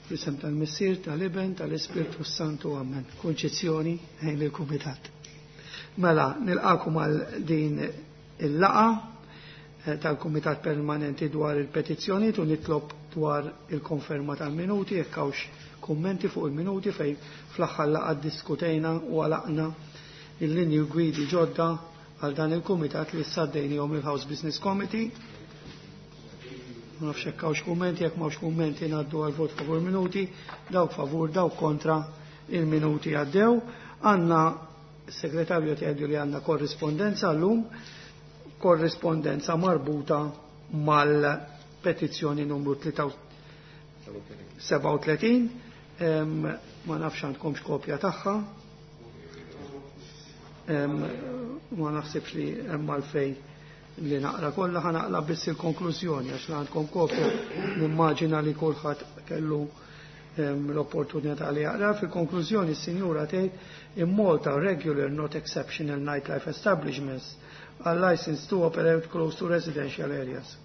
Fl-isem tal-Missier, tal-Iben, tal-Ispirtu Santu, Amen. Konċezzjoni ħejn il-Kumitat. Mela, nilqakom għal din il-laqa eh, tal-Kumitat Permanenti dwar il-petizzjoni u nitlob dwar il-konferma tal-minuti, jekk hawnx kummenti fuq il-minuti fejn fl-aħħar laqa diskutejna u għalaqna il-linji gwidi ġodda għal dan il-kumitat li saddejnihom il-House Business Committee. Ma nafx hekk hawnx kummenti, jekk m'hawnx kummenti ngħaddu għal vot favur minuti, dawk favur, dawk kontra il-minuti għaddew. Għandna segretarju tgħidu li għandna korrispondenza llum, korrispondenza marbuta mal-petizzjoni numru 37, ma nafx għandkomx kopja tagħha. Ma naħsibx li hemm għalfejn li naqra kollha ħa naqla biss il-konklużjoni għax għandkom kopja nimmaġina li kulħadd kellu l-opportunità li jaqra. Fil-konklużjoni s-sinjura tgħid in Malta regular not exceptional nightlife establishments are licensed to operate close to residential areas.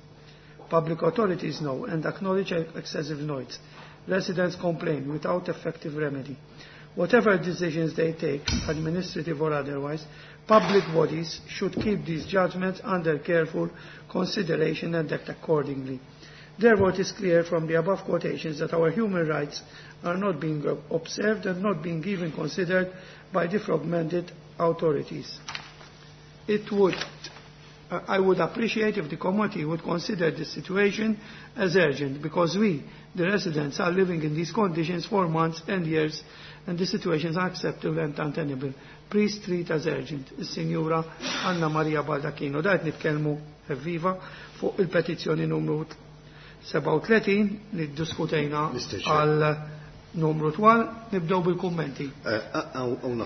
Public authorities know and acknowledge excessive noise. Residents complain without effective remedy. Whatever decisions they take, administrative or otherwise, public bodies should keep these judgments under careful consideration and act accordingly. Therefore, it is clear from the above quotations that our human rights are not being observed and not being even considered by the fragmented authorities. It would, I would appreciate if the committee would consider this situation as urgent, because we, the residents, are living in these conditions for months and years, and the situation is unacceptable and untenable. Please treat as urgent. Is-Sinjura Anna Maria Baldacchino. Da qed nitkellmu viva fuq il-petizzjoni numru 37 li ddiskutejna għal numru twal, nibdew bil-kummenti.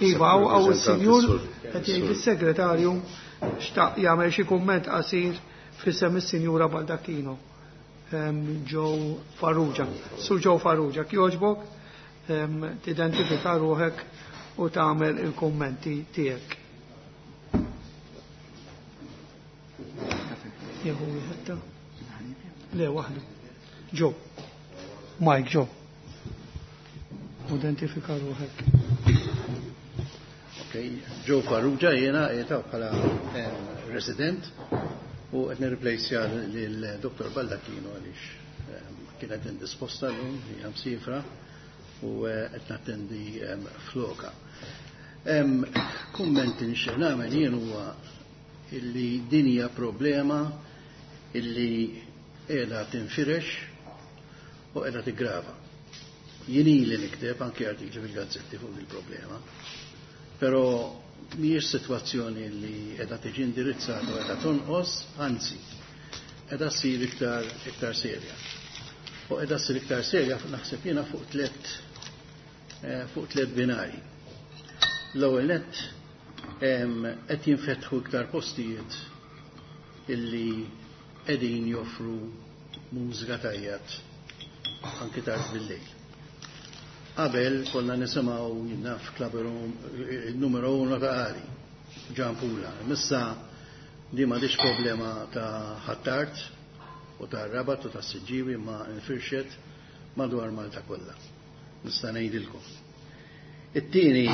Iva, għaw il-Sinjur, qed jgħid is-segretarju xtaq jagħmel xi kumment qasir f'isem is-Sinjura Baldacchino. Joe Farrugia. Sur Joe Farrugia, kjoġbok, tidentifika ruħek u tagħmel il-kummenti tiegħek. Jehu wieħed Le waħdu. Joe. Mike Joe. Identifika ruħek. Ok, Joe Farrugia jiena qiegħed bħala resident u qed nirreplejsja lil Dr. Baldacchino għaliex kienet indisposta llum hija msifra u qed nattendi floka. Kumment li nixtieq nagħmel jien huwa illi din hija problema illi qiegħda tinfirex u qiegħda tiggrava. Jien ili nikteb anke artikli fil-gazzetti fuq il-problema, però mhijiex sitwazzjoni li qiegħda tiġi indirizzata u qiegħda tonqos, anzi, qiegħda ssir iktar iktar serja. U qiegħda ssir iktar serja naħseb jiena fuq tliet eh, fuq tliet binari. L-ewwel nett qed jinfetħu iktar postijiet illi qegħdin joffru mużika tajjat anki tard bil-lejl. Qabel konna nisimgħu naf Club il-numero uno ta' Qali, Gianpula. Issa di m'għadix problema ta' Ħ'Attard u ta' Rabat u ta' Siġġiwi ma infirxet madwar Malta kollha. Nista' ngħidilkom. It-tieni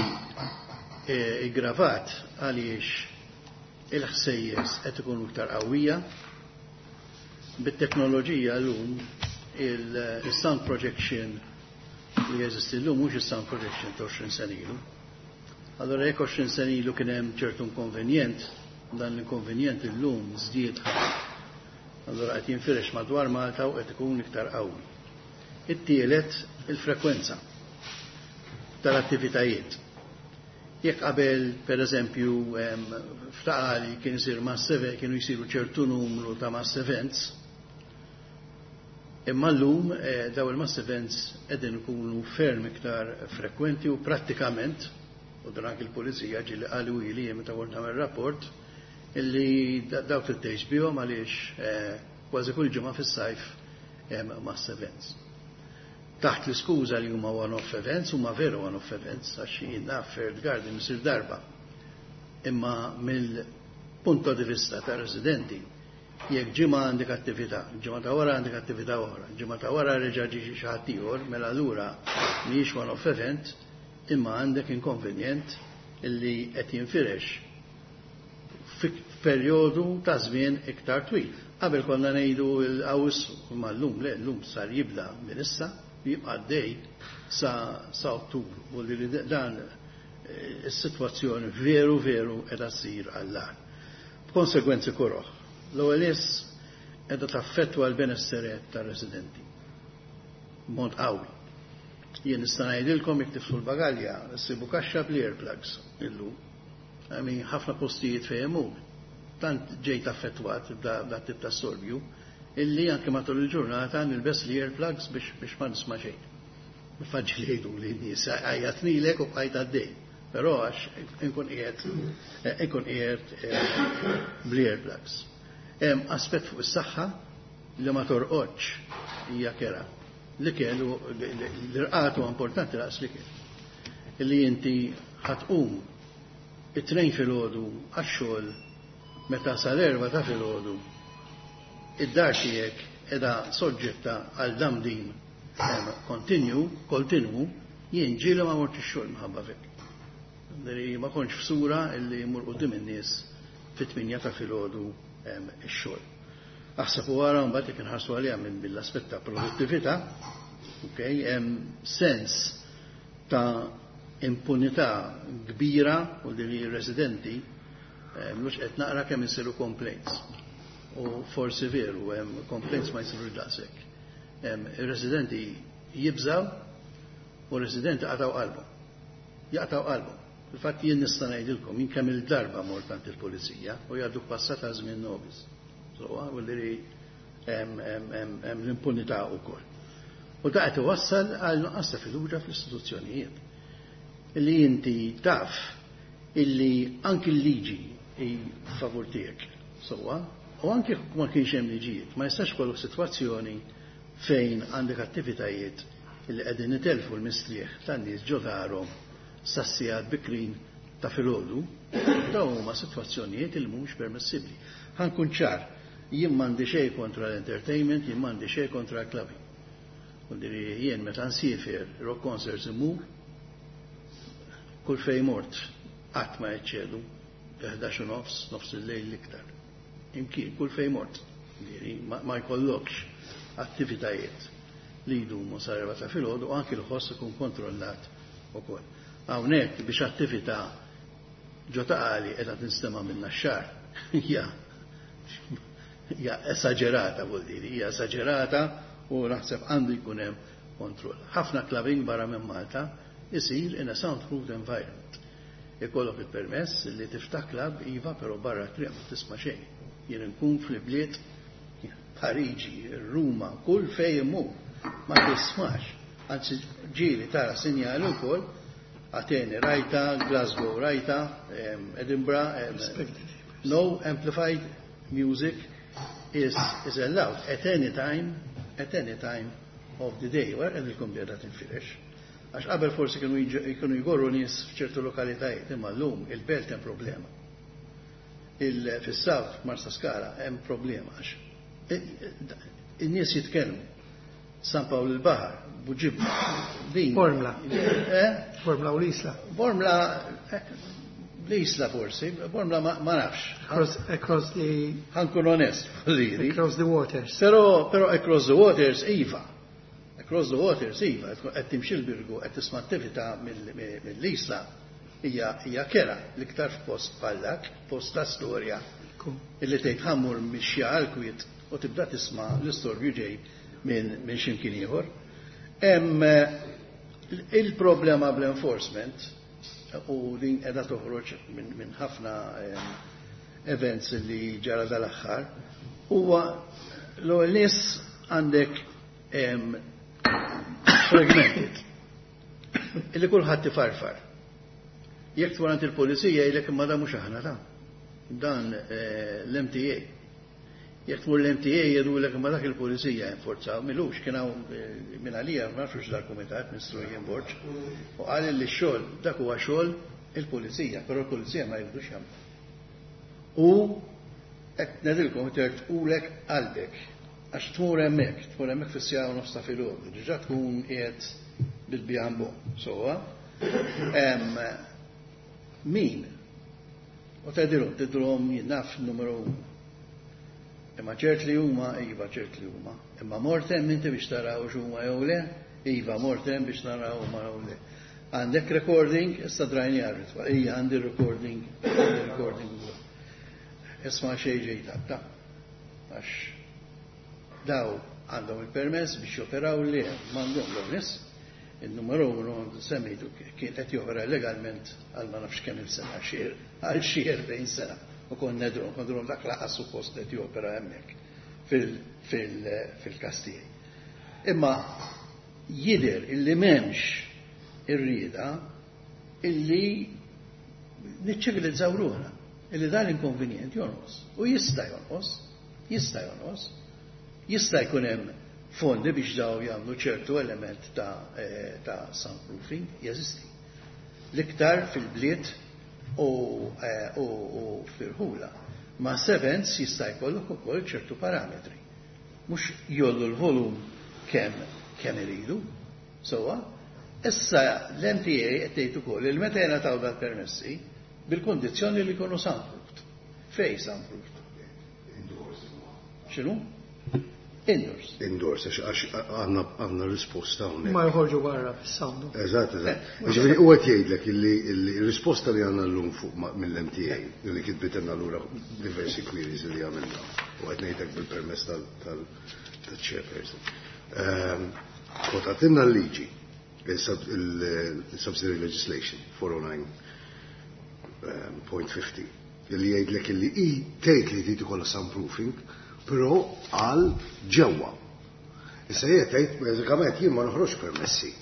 iggravat għaliex il-ħsejjes qed ikunu iktar qawwija. Bit-teknoloġija llum il-sound projection li jeżisti llum mhux is-sound projection ta' 20 sena ilu. Allora jekk 20 sena ilu kien hemm ċertu inkonvenjent, dan l-inkonvenjent illum żdied ħafna. Allora qed jinfirex madwar Malta u qed ikun iktar qawwi. It-tielet il-frekwenza tal-attivitajiet. Jekk qabel, per eżempju, f'Ta' Qali kien isir mass event, kienu jsiru ċertu numru ta' mass events, imma llum daw il-mass events qegħdin ikunu ferm iktar frekwenti u prattikament, u dan anki l-pulizija ġieli qalu ili meta kont nagħmel rapport, illi dawk trid tgħix bihom għaliex kważi kull ġimgħa fis-sajf hemm mass events. Taħt l-iskuża li huma one-off events, huma veru one-off events, għax jien naf Fair Garden isir darba. Imma mill-punto di vista ta' residenti Jekk ġimgħa għandek attività, ġimgħa ta' wara għandek attività oħra, ġimgħa ta' wara reġa' ġie xi ħadd ieħor, mela allura mhijiex one-off event, imma għandek inkonvenjent illi qed jinfirex f'perjodu ta' żmien iktar twil. Qabel konna ngħidu l-Awwissu, imma llum le, llum sar jibda minn issa u jibqa' għaddej sa sa Ottubru. U li dan is-sitwazzjoni veru veru qiegħda ssir għall-agħar. B'konsegwenzi koroh. L-ewwel nies qiegħda taffettwa l-benessere tar-residenti b'mod qawwi. Jien nista' ngħidilkom jekk tifsu l-bagalja ssibu kaxxa bl-earplugs illum. I mean, ħafna postijiet fejn imur. Tant ġejt affettwat b'da tip ta' storbju illi anke matul il-ġurnata nilbes l-earplugs biex ma nisma' xejn. Faġġi li jgħidu li n-nies għajjatnilek u bqajt għaddej. Però għax inkun qiegħed bl-earplugs. Hemm aspett fuq is-saħħa li ma torqodx hija kerha. L-ikel, l-irqad huwa importanti daqs l-ikel. Illi inti ħa tqum it-2 filgħodu għax-xogħol meta sal-4 ta' filgħodu id-dar tiegħek qiegħda soġġetta għal damdim continue, continue, jien ġieli ma mort ix-xogħol minħabba fik. Ma kontx f'sura illi mur quddiem in-nies fit-8 ta' filgħodu ix-xogħol. Aħseb u ara mbagħad jekk inħarsu għaliha minn mill-aspett ta' produttività, okay, hemm sens ta' impunità kbira u din ir-residenti mhux qed naqra kemm isiru complaints. U forsi veru hemm complaints ma jsirux daqshekk. Ir-residenti jibżaw u r-residenti qataw qalbhom. Jaqtaw qalbhom. Il-fatt jien nista' ngħidilkom jien kemm il-darba mort għand il-pulizija u jgħaddu passata żmien nobis. So, u li hemm l-impunità wkoll. U da qed iwassal għal nuqqas ta' fiduċja fl-istituzzjonijiet. Illi inti taf illi anki l-liġi hi favur tiegħek. Sewwa, u anki ma kienx hemm liġijiet, ma jistax kollok sitwazzjoni fejn għandek attivitajiet illi qegħdin itelfu l-mistrieħ tan-nies ġo darhom sas-sigħat bikrin ta' filgħodu, dawn huma sitwazzjonijiet li mhumiex permessibbli. Ħa nkun ċar, jien m'għandi xejn kontra l-entertainment, jien m'għandi xejn kontra l-clubbing. U jien meta nsiefer rock concerts imur, kull fej mort qatt ma jeċċedu 11 nofs, nofs il-lejl l-iktar. Imkien, kull fej mort. Ma jkollokx attivitajiet li jdumu sa ta' filgħodu u anki l-ħoss ikun kontrollat ukoll. Hawnhekk biex attività ġo Ta' Qali qiegħda tinstema' minna x-xar. Hija esagerata vuol dire, hija esagerata u naħseb għandu jkun hemm kontroll. Ħafna clubbing barra minn Malta isir in a soundproof environment. Ikollok il-permess li tiftaħ club iva, però barra triq ma tisma' xejn. Jien nkun fl-bliet Pariġi, Ruma, kull fej imur, ma tismax. Anzi, ġieli tara sinjali wkoll, Atene rajta, Glasgow rajta, Edinburgh, no amplified music is allowed at any time of the day. Wara qed bieda tinfirex. Għax qabel forsi kienu jgorru nies f'ċertu lokalitajiet, imma llum il-belt hemm problema. Fis-South Marsa Skala hemm problema għax in-nies jitkellmu. San Pawl il-Baħar, Buġibba, din. Bormla. Eh? Bormla u l-Isla. Bormla, l-Isla forsi, Bormla ma nafx. Across the Ħa nkun onest, liri. Across the waters. Pero across the waters, iva. Across the waters, iva. Qed timxi l-Birgu, qed tisma' attività mill-Isla hija kerha l-iktar f'post bħal dak, post ta' storja. Illi tgħid ħa mmur mixja għal-kwiet u tibda tisma' l-istorbju ġej minn x'imkien ieħor. Hemm il-problema bl-enforcement u din qiegħda toħroġ minn ħafna events li ġara dal-aħħar huwa l-ewwel nies għandek fragmented illi kulħadd ifarfar. Jekk tmur għand il-pulizija jgħidlek imma dan mhux aħna ta' dan l-MTA. Jekk tmur l-MTA jgħidulek imma dak il-pulizija jinforzaw, milux kien hawn minn għalija ma nafx dal-kumitat Ministru Ian Borg u qal li x-xogħol dak huwa xogħol il-pulizija, però l-pulizija ma jridux jagħmlu. U Qed ngħidilkom tertqulek qalbek għax tmur hemmhekk fis-siegħa u nofs ta' filgħodu, diġà tkun qiegħed bil-bjambo, sewwa. Min? U tgħidilhom, tidhom jien naf numru. Imma ċert li huma, iva ċert li huma. Imma mort hemm inti biex taraw x'huma jew le, iva mort hemm biex naraw huma jew le. Għandek recording, issa drajni għarritwa, ija għandi recording, għandi recording. Isma' xejn ġejta, ta' għax daw għandhom il-permess biex joperaw li m'għandhom l-nies. Il-numru uno semmejtu kien qed jopera legalment għal ma nafx kemm il-sena, għal xi 40 sena. U kon nedru, kondru dak laqas suppost qed jopera hemmhekk fil-każ tiegħi. Imma jidher illi m'hemmx ir-rieda illi niċċivilizzaw ruħna, illi dan l-inkonvenjent jonqos. U jista' jonqos, jista' jonqos, jista' jkun hemm fondi biex daw jagħmlu ċertu element ta' soundproofing, jeżisti. L-iktar fil-bliet u fil-ħula. Ma' events jista' jkollok ukoll ċertu parametri. Mhux jollu l-volum kemm iridu, sewwa. Issa l-MTA qed tgħid ukoll li meta jingħataw dal-permessi bil-kondizzjoni li jkunu soundproofed. Fej soundproofed? Indoors. X'inhu? Indoors. Indoors, għax għandna risposta hawnhekk. Ma joħorġu barra fis-sound. Eżatt, eżatt. Ġifieri huwa qed jgħidlek illi r-risposta li għandna llum fuq mill-MTA li kitbitilna lura diversi queries li għamilna u qed ngħidlek bil-permess tal-chairperson. Kwotatilna l-liġi, il-subsidiary legislation 409.50, illi jgħidlek illi i tgħid li trid ikollha soundproofing, però għal ġewwa. Issa jien tgħid bażikament jien ma noħroġ permessi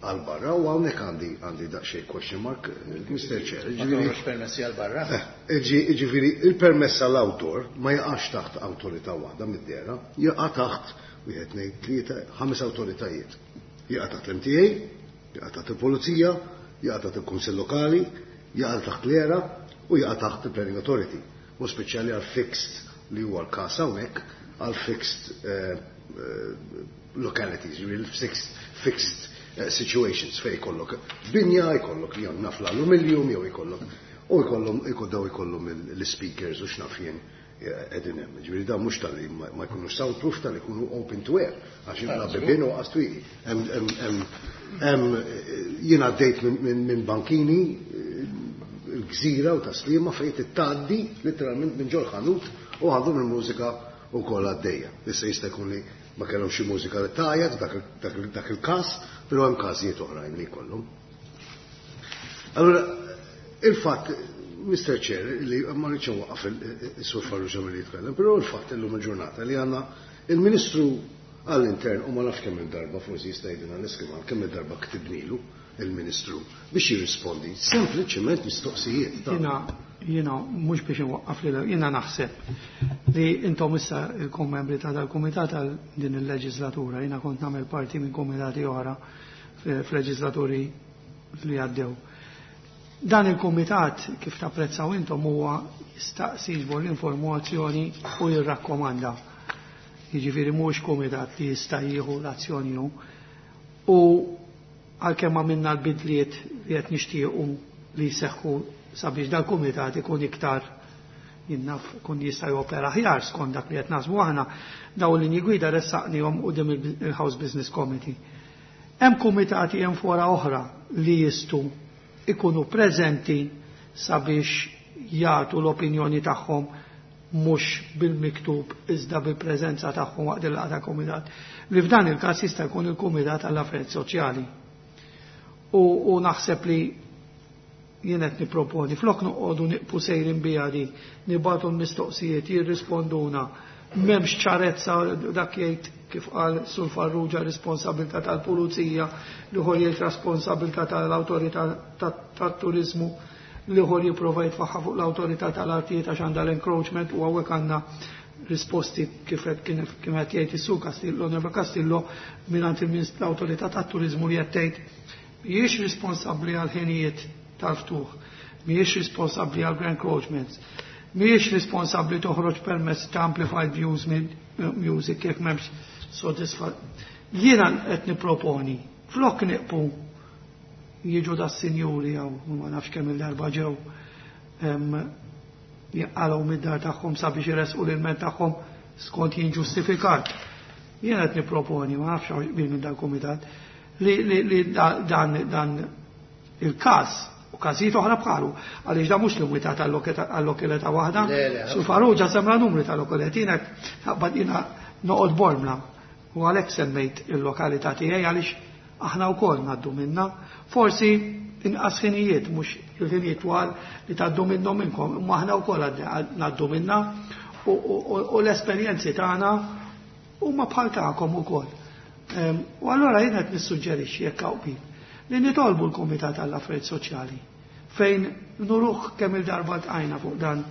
għal barra u hawnhekk għandi daqsxejn question mark, Mr. Chair. Ma toħroġ permessi għal barra? Ġifieri il-permess għal outdoor ma jaqax taħt awtorità waħda mid-dera, jaqa' taħt wieħed tnejn tlieta ħames awtoritajiet. Jaqa' taħt l-MTA, jaqa' taħt il-Pulizija, jaqa' taħt il-Kunsill Lokali, jaqa' taħt l-ERA u jaqa' taħt il-Planning Authority. U speċjali għal fixed li huwa l-każ hawnhekk għal fixed localities, ġifieri fixed situations fejn jkollok binja, jkollok jew naf l-aluminium jew jkollok u jkollhom daw jkollhom l-speakers u x'naf jien qegħdin hemm. Ġifieri dawn mhux tal-li ma jkunux soundproof, tal-li jkunu open to air, għax la bibien u qas twieqi. Jien għaddejt minn bankini il-gżira u taslima fejn tgħaddi literalment minn ġol ħanut u għandhom il-mużika wkoll għaddejja. Issa jista' jkun li ma kellhom xi mużika li tgħajjat dak il-każ, però hemm każijiet oħrajn li jkollhom. Allura, il-fatt, Mr. Chair, li ma rridx nwaqqaf is-Sur Farrugia milli jitkellem, però il-fatt illum il-ġurnata li għandna il-Ministru għall-Intern u ma nafx kemm il-darba, forsi jista' jgħidilna l-iskema, kemm il-darba ktibnilu il-Ministru biex jirrispondi sempliċement mistoqsijiet. Jiena mhux biex inwaqqaf lil, jiena naħseb li intom issa ilkom membri ta' dal-kumitat għal din il-leġislatura, jiena kont nagħmel parti minn kumitati oħra f'leġislaturi li għaddew. Dan il-kumitat, kif tapprezzaw intom, huwa jistaqsi jiġbor l-informazzjoni u jirrakkomanda. Jiġifieri mhux kumitat li jista' jieħu l-azzjoni hu. U għalkemm għamilna l-bidliet li qed nixtiequ li jseħħu sabiex dal-kumitat ikun iktar jinnaf kun jista' jopera aħjar skont dak li qed naħsbu aħna, dawn l-linji gwida ressaqnihom quddiem il-House Business Committee. Hemm kumitati hemm fora oħra li jistgħu ikunu preżenti sabiex jagħtu l-opinjoni tagħhom mhux bil-miktub iżda bil-preżenza tagħhom waqt il-laqgħa ta' kumitat. Li f'dan il-każ jista' jkun il-Kumitat għall-Affarijiet Soċjali. U naħseb li jien qed nipproponi flok noqogħdu nieqfu sejrin biha di, nibagħtu l-mistoqsijiet, jirrisponduna, m'hemmx ċarezza dak jgħid kif qal Sur Farrugia responsabilità tal-pulizija, l-ieħor jgħid responsabilità tal-awtorità tat-turiżmu, l-ieħor jipprova jitfaħħa fuq l-awtorità tal-artijiet għax għandha l-encroachment u hawnhekk għandna risposti kif qed kien qed jgħid is-Sur Castillo, Neva Castillo, mingħand l-awtorità tat-turiżmu li qed tgħid mhijiex responsabbli għal ħinijiet tal-ftuħ, mhijiex responsabbli għal encroachments. Mhijiex responsabbli toħroġ permess ta' amplified views music jekk m'hemmx sodisfa. Jiena qed nipproponi flok niqpu jiġu da sinjuri jew ma nafx kemm il-darba ġew jaqalgħu mid-dar tagħhom sabiex iresqu l-ilment tagħhom skont jien ġustifikat. Jiena qed nipproponi, ma nafx bil minn dal-kumitat, li dan il-każ u każijiet oħra bħalu, għaliex da mhux limitat għall-lokalità waħda. Sur Farrugia semma numri ta' lokalitajiet, jiena jiena noqgħod Bormla u għalhekk semmejt il-lokalità tiegħi għaliex aħna wkoll ngħaddu minna. Forsi inqas ħinijiet, mhux il-ħinijiet twal li tgħaddu minnhom minnkom, imma aħna wkoll ngħaddu minna u l-esperjenzi tagħna huma bħal tagħkom ukoll. U allura jien qed nissuġġerixxi jekk hawn li nitolbu l-Kumitat għall-Affarijiet Soċjali fejn nuruh kemm il-darba tqajna fuq dan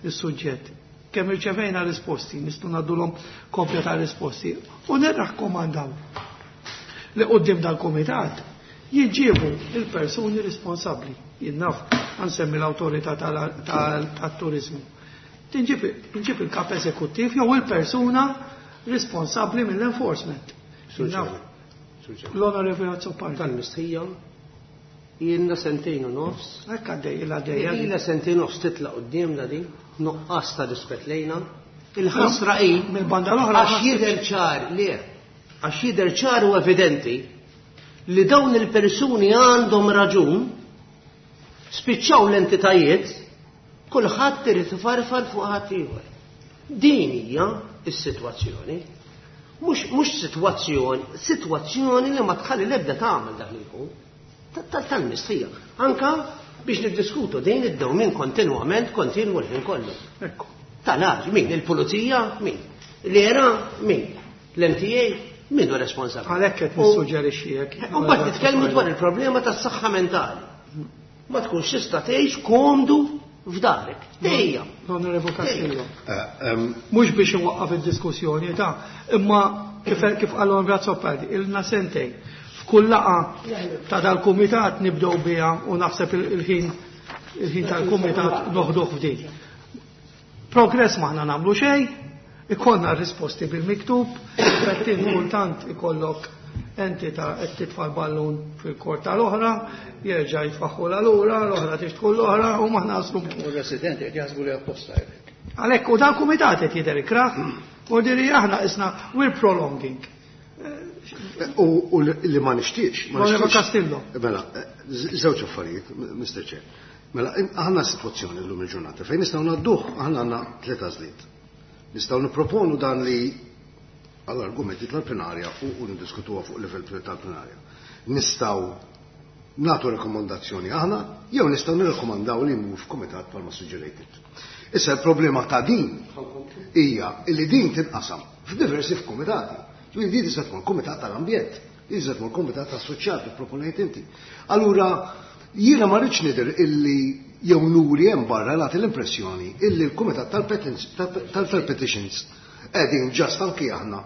is-suġġett, kemm irċevejna risposti, nistgħu ngħaddulhom kopja ta' risposti u nirrakkomandaw li quddiem dal-kumitat jiġġiebu il-persuni responsabbli. Jien naf nsemmi l-awtorità tat-turiżmu. Tinġib il-kap eżekuttiv jew il-persuna responsabbli mill-enforcement. L-Onorevoli Azzopardi. Tal-mistħija, jiena sentejn u nofs. Hekk għaddej, il għaddej. Jiena sentejn nofs titla' quddiemna din, nuqqas ta' rispett lejna. Il-ħasra hi mill-banda l-oħra għax jidher ċar li għax jidher ċar u evidenti li dawn il-persuni għandhom raġun, spiċċaw l-entitajiet, kulħadd irid ifarfar fuq ħadd ieħor. Din hija s-sitwazzjoni. Mhux sitwazzjoni, sitwazzjoni li ma tħalli l-ebda tagħmel dak li jkun. Tal-mistħija. Anka biex niddiskutu din id-dewmien kontinwament, kontinwu l-ħin kollu. Tal-għax, min? Il-pulizija? Min? L-era? Min? L-MTA? Min hu responsabbli? Għalhekk qed nissuġġerixxi hekk. U mbagħad nitkellmu dwar il-problema tas-saħħa mentali. Ma tkunx tista' tgħix komdu f'darek. Dejja. L-Onorevoli Castillo. Mhux biex inwaqqaf id-diskussjoni ta' imma kif qal l-Onorevoli Azzopardi, ilna sentejn. F'kull laqgħa ta' dal-kumitat nibdew biha u naħseb il-ħin tal-kumitat noħduh f'din. Progress maħna nagħmlu xejn, ikollna risposti bil-miktub, fettin kultant ikollok entità qed titfa' l-ballun fil-kort tal-oħra, jerġa' jitfaħħu l-lura, l-oħra tixtku l-oħra u maħna naslu. U r-residenti qed jaħsbu li apposta hekk. Għalhekk u dal-kumitat qed jidher ikrah, u diri aħna isna we're prolonging. U li ma nixtiex. Onorevole Castillo. Mela, żewġ affarijiet, Mr. Chair. Mela, aħna situazzjoni llum il-ġurnata fejn nistgħu ngħadduh, aħna għandna tliet għażliet. Nistgħu nipproponu dan li għall-argumenti tal-plenarja u niddiskutuha fuq livell tal-plenarja. Nistgħu nagħtu rekomandazzjoni aħna jew nistgħu nirrekomandaw li jmur f'kumitat bħalma suġġerejt. Issa l-problema ta' din hija li din tinqasam f'diversi f'kumitati. Ġifieri din tista' tkun kumitat tal-ambjent, din tista' tkun kumitat tas-soċjal kif proponejt inti. Allura jiena ma rridx nidher illi jew nuri hemm barra nagħti l-impressjoni illi l-kumitat tal-petitions qegħdin ġast anki aħna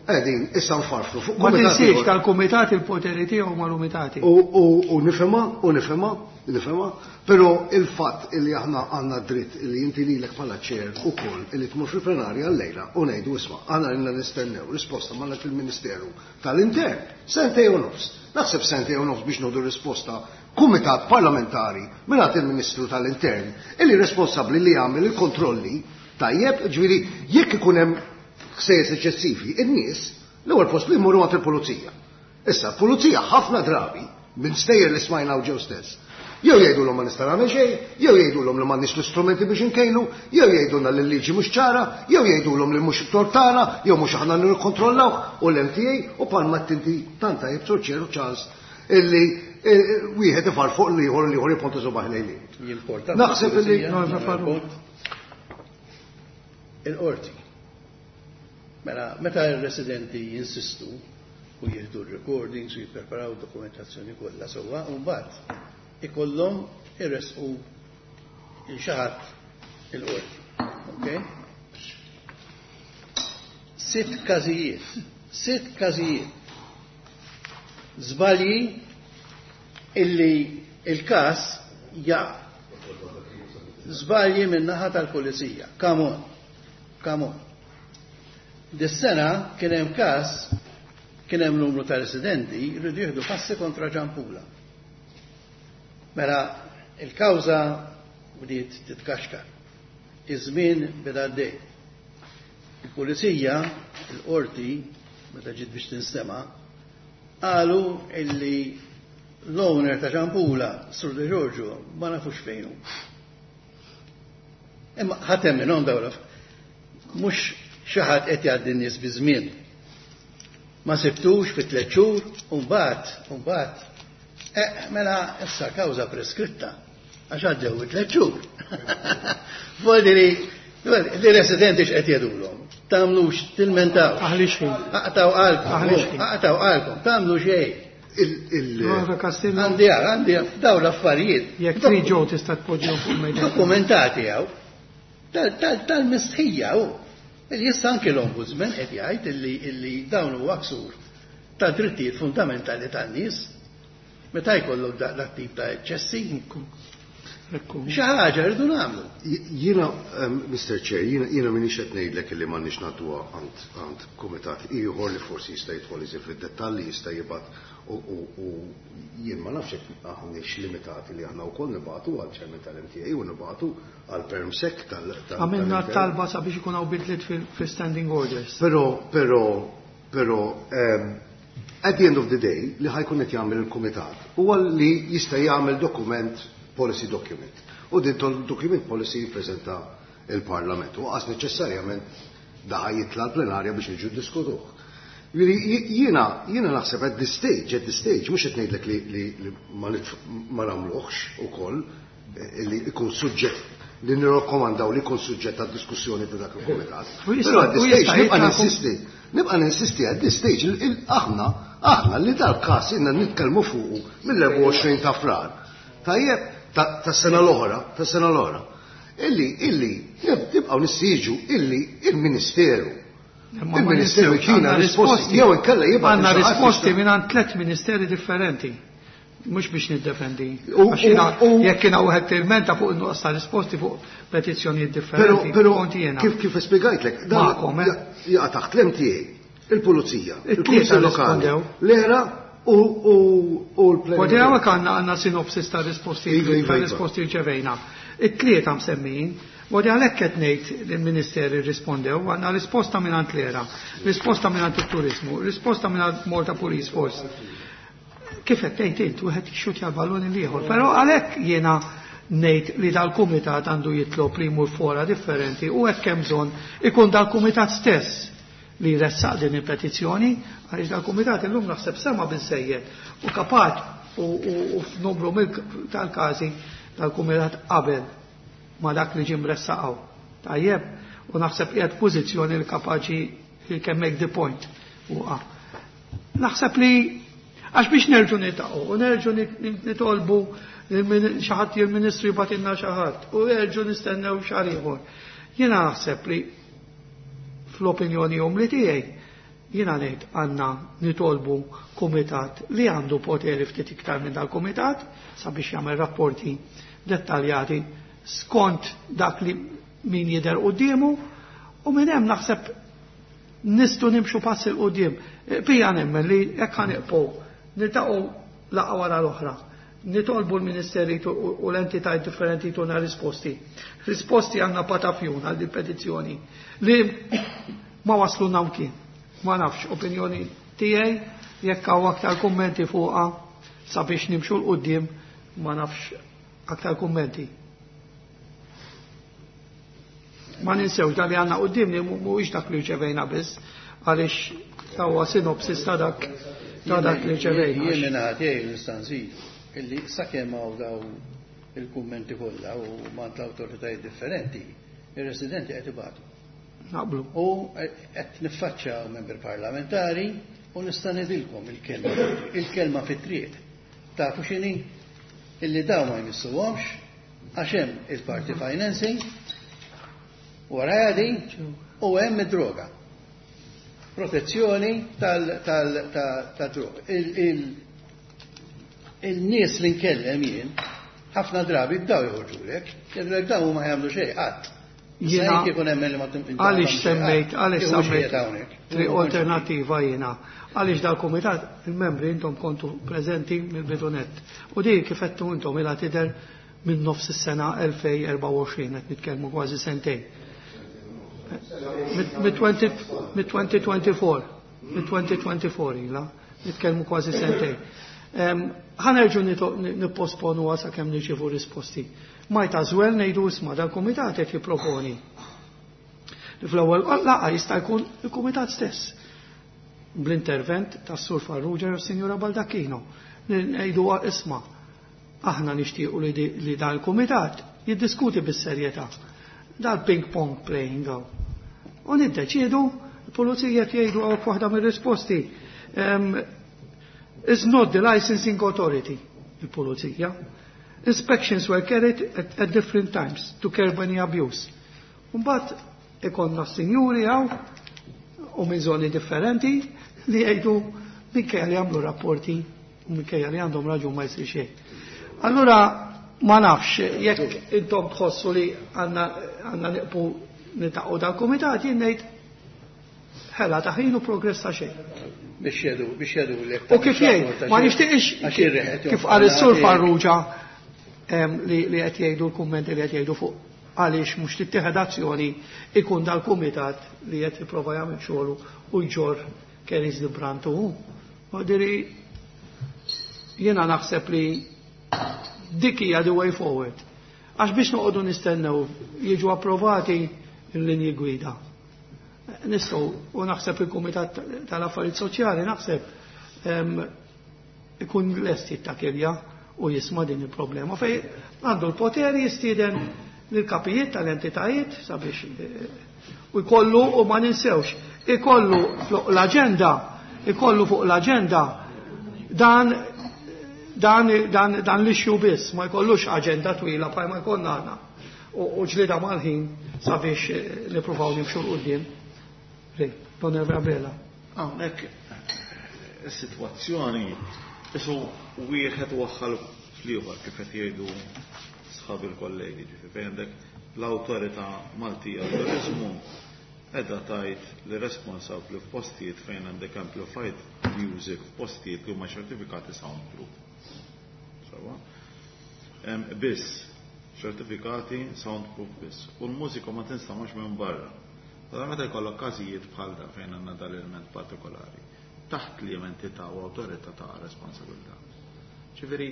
qegħdin issa nfarfru fuq Ma tinsiex tal-kumitat il-poteri tiegħu mal-umitati. U nifhimha, u nifhimha, nifhimha, però il-fatt illi aħna għandna dritt illi inti lilek bħala chair ukoll illi tmur fil-plenarja llejla u ngħidu isma' aħna rilna nistennew risposta mal il-Ministeru tal-Intern sentejn u nofs. Naħseb sentejn u nofs biex nodu risposta kumitat parlamentari mingħand il-Ministru tal-Intern illi responsabbli li jagħmel il-kontrolli tajjeb, ġifieri jekk ikun hemm ħsejjes eċċessivi, in-nies l-ewwel post li jmorru għand il-pulizija. Issa, pulizija ħafna drabi minn stejjer li smajna ġew stess. Jew jgħidulhom ma nista' nagħmel xejn, jew jgħidulhom li m'għandniex l-istrumenti biex inkejlu, jew jgħidulna li l-liġi mhux ċara, jew jgħidulhom li mhux tortana, jew mhux aħna nikkontrollaw u l-MTA u palma tinti tant tajjeb Sur Ċeru Charles illi wieħed ifar fuq l-ieħor l-ieħor jipponta subaħ lejn. Jimporta. Naħseb illi Il-qorti. Mela, meta r-residenti jinsistu u jieħdu r-recordings u jippreparaw dokumentazzjoni kollha sewwa, u mbagħad ikollhom irresqu il xi ħadd il-qorti. Okay? 6 każijiet, 6 każijiet. Żbalji illi il-każ ja. Żbalji min-naħa tal-pulizija. Come on. Come on. Dis-sena kien hemm każ, kien hemm numru ta' residenti rridu jieħdu passi kontra Ġampula. Mela il-kawża bdiet titkaxkar. Iż-żmien beda għaddej. Il-pulizija, il-qorti, meta ġiet biex tinstema', qalu illi l-owner ta' Ġampula, Sur De Giorgio, ma nafux fejn hu. Imma ħadd hemm minnhom dawn mhux xi ħadd qed jgħaddi n-nies biż-żmien. Ma sibtux fi 3 xhur u mbagħad, u mbagħad, mela issa kawża preskritta għax għaddew it-3 xhur. Vuol dire li residenti x'qed jgħidulhom. Tagħmlux, tilmentaw. Aħli xejn. Aqtaw qalbkom, aqtaw qalbkom, tagħmlu xejn. Għandi għal, għandi daw l-affarijiet. Jekk trid ġew tista' tpoġġihom fuq mejda. Dokumentati hawn. Tal-mistħija hu. Illi issa anke l-Ombudsman qed jgħid illi dawn huwa ksur ta' drittijiet fundamentali tan-nies. Meta jkollok dak tip ta' eċċessi. Xi ħaġa rridu nagħmlu. Jiena, Mister Chair, jiena m'iniex qed ngħidlek illi m'għandniex nagħtuha għand kumitat ieħor li forsi jista' jidħol iżjed fid-dettalji, jista' jibgħat u jien ma nafx jekk aħniex limitati li aħna wkoll nibgħatu għal chairman tal-MTA u nibgħatu għal permsec tal- Għamilna talba sabiex ikun hawn bidliet fil-standing orders. Però at the end of the day li ħajkun qed jagħmel il-kumitat huwa li jista' jagħmel dokument, policy document. U din document policy jippreżenta il-Parlament. U qas neċessarjament da jitla l-plenarja biex niġu diskutuh. Jiena naħseb at this stage, at this stage, mhux qed ngħidlek li ma nagħmluhx ukoll, li jkun suġġett li nirrakkomandaw li jkun suġġett għad diskussjoni ta' dak il-kumitat. U Però at this jista' stage nibqa' jitla' ninsisti, nibqa' ninsisti at this stage aħna li dal-każ inna nitkellmu fuqu mill-24 ta' Frar. Tajjeb, ta' sena l-oħra, ta' sena l-oħra. Illi nibqgħu nissiġu illi il-Ministeru. Imma ma Il-Ministeru nistgħux, jtina għandna risposti, risposti. jew inkella jibgħat Għandna xi ħadd risposti jista' minn għand 3 ministeri differenti. Mhux biex niddefendi. Għax jiena jekk jiena wieħed tilmenta fuq in-nuqqas ta' risposti fuq petizzjonijiet differenti, Però kont jiena. kif spjegajtlek, dan Magħkom, eh? jaqa' taħt l-MTA, il-Pulizija, It-tlieta il-Kunsill Lokali, rispondew. l-ERA u l-Plenarja. U dejjem hekk għandna sinopsis ta' risposti, Iva, iva, ta' iva. risposti rċevejna. It-tlieta msemmijin, u għalhekk qed ngħid li l-Ministeri rrispondew, għandna risposta mingħand l-ERA, risposta mingħand it-Turizmu, risposta mingħand Malta Police Force. Kif qed tgħid int, wieħed jixxutja l-ballun l-ieħor, però għalhekk jiena ngħid li dal-kumitat għandu jitlob li jmur fora differenti u hekk hemm bżonn ikun dal-kumitat stess li jressaq din il-petizzjoni, għaliex dal-kumitat illum naħseb sema biżejjed u kapaċ u f'numru tal-każi dal-kumitat qabel ma dak li ġie mressaqgħu. Tajjeb, u naħseb qiegħed pożizzjoni li kapaċi he can make the point. Uqa. Naħseb li għax biex nerġu nitaqgħu u nerġu nitolbu xi ħadd il-Ministru jibgħatilna xi ħadd u nerġu nistennew xahar ieħor. Jiena naħseb li fl-opinjoni umli tiegħi jiena ngħid għandna nitolbu kumitat li għandu poteri ftit iktar minn dal-kumitat sabiex jagħmel rapporti dettaljati skont dak li min jidher quddiemu u minn hemm naħseb nistgħu nimxu pass il quddiem. Pija nemmen li jekk ħaniqpu niltaqgħu laqgħa wara l-oħra, nitolbu l-ministeri u l-entitajiet differenti jtuna risposti. Risposti għandna patafjun għal din petizzjoni li ma wasluna mkien. Ma nafx, opinjoni tiegħi jekk hawn aktar kummenti fuqha sabiex nimxu l quddiem, ma nafx aktar kummenti. Ma ninsewx dak li għandna quddiem li mhuwiex dak li rċevejna biss, għaliex huwa sinopsis ta' dak ta' dak li rċevejna. Jien minn ħadd jgħid nista' nżid illi sakemm hawn daw il-kummenti kollha u mant l-awtoritajiet differenti, ir-residenti qed ibatu. Naqblu. U qed niffaċċjaw membri parlamentari u nista' ngħidilkom il-kelma fit-triq. Tafu x'inhi? Illi daw ma jmissuhomx għax hemm il-party financing wara għadi u hemm id-droga. Protezzjoni tad-droga. Il-nies li nkellem jien Ħafna drabi daw joħorġulek, jgħidulek daw ma jagħmlu xejn qatt. Jiena għaliex semmejt, għaliex semmejt triq alternattiva jiena. Għaliex dal-kumitat il-membri intom kontu preżenti mill-bidu nett. U di kif għedtu intom ilha tidher minn nofs is-sena 2024 qed nitkellmu kważi sentejn. Mit-2024, mit-2024 ilha nitkellmu kważi sentejn. Ħa nerġgħu nipposponuha sakemm nirċievu risposti. Might as well ngħidu isma' dal-kumitat qed jipproponi. Li fl-ewwel laqgħa jista' jkun il-kumitat stess bl-intervent tas-Sur Farrugia u s-Sinjura Baldacchino. Ngħidu isma' aħna nixtiequ li dan il-kumitat jiddiskuti bis-serjetà dal-ping pong playing hawn. U niddeċiedu, il-pulizija qed jgħidu hawn waħda mir-risposti. Is not the licensing authority, il-pulizija. Inspections were carried at different times to curb any abuse. Mbagħad ikollna s-sinjuri hawn u minn żoni differenti li jgħidu minkejja li jagħmlu rapporti u minkejja li għandhom raġun ma jsir xejn. Allura ma nafx jekk intom tħossu li għandna nieqfu niltaqgħu dal-kumitat jien ngħid ħela ta' ħin u progress ta' xejn. Biex jedu, biex jedu l U kif jgħid, ma nixtieqx kif qal is-Sur Farrugia li qed jgħidu l-kummenti li qed jgħidu fuq għaliex mhux tittieħed azzjoni ikun dal-kumitat li qed jipprova jagħmel xogħlu u jġorr carries the brunt hu. Diri jiena naħseb li dik hija the way forward. Għax biex noqogħdu nistennew jiġu approvati l-linji gwida. Nistgħu u naħseb il-Kumitat tal-Affarijiet Soċjali naħseb ikun lest jittakilja u jisma' din il-problema. Fej għandu l-poteri jistieden lill-kapijiet tal-entitajiet sabiex u jkollu u ma ninsewx, ikollu fuq l-aġenda, ikollu fuq l-aġenda dan dan dan dan l-issue biss, ma jkollux aġenda twila bħal ma jkollna aħna u ġlieda mal-ħin sabiex nippruvaw nimxu 'l quddiem. Onorevole Abela. Hawnhekk is-sitwazzjoni isu wieħed waħħal fl-ieħor kif qed jgħidu sħabi l-kollegi, ġifieri fejn għandek l-Awtorità Maltija Turiżmu qiegħda tgħid li responsabbli f'postijiet fejn għandek amplified music f'postijiet li huma ċertifikati soundproof. Sewwa? Biss ċertifikati soundproof biss. U l-mużika ma tinstamax minn barra. Allora meta jkollok każijiet bħal da fejn għandna dal-element partikolari, taħt li entità u awtorità ta' responsabilità. Ġifieri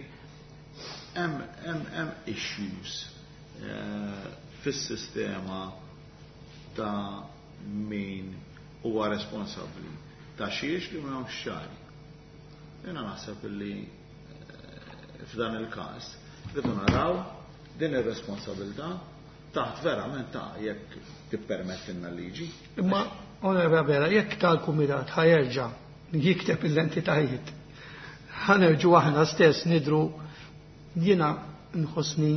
hemm issues fis-sistema ta' min huwa responsabbli ta' xiex li m'hemmx ċari. Jiena naħseb li f'dan il-każ rridu naraw din ir-responsabilità taħt verament ta' jekk tippermettilna l-liġi. Imma, Onorevole Abela, jekk tal-kumitat ħa jerġa' jikteb l-entitajiet, ħa nerġgħu aħna stess nidru jiena nħossni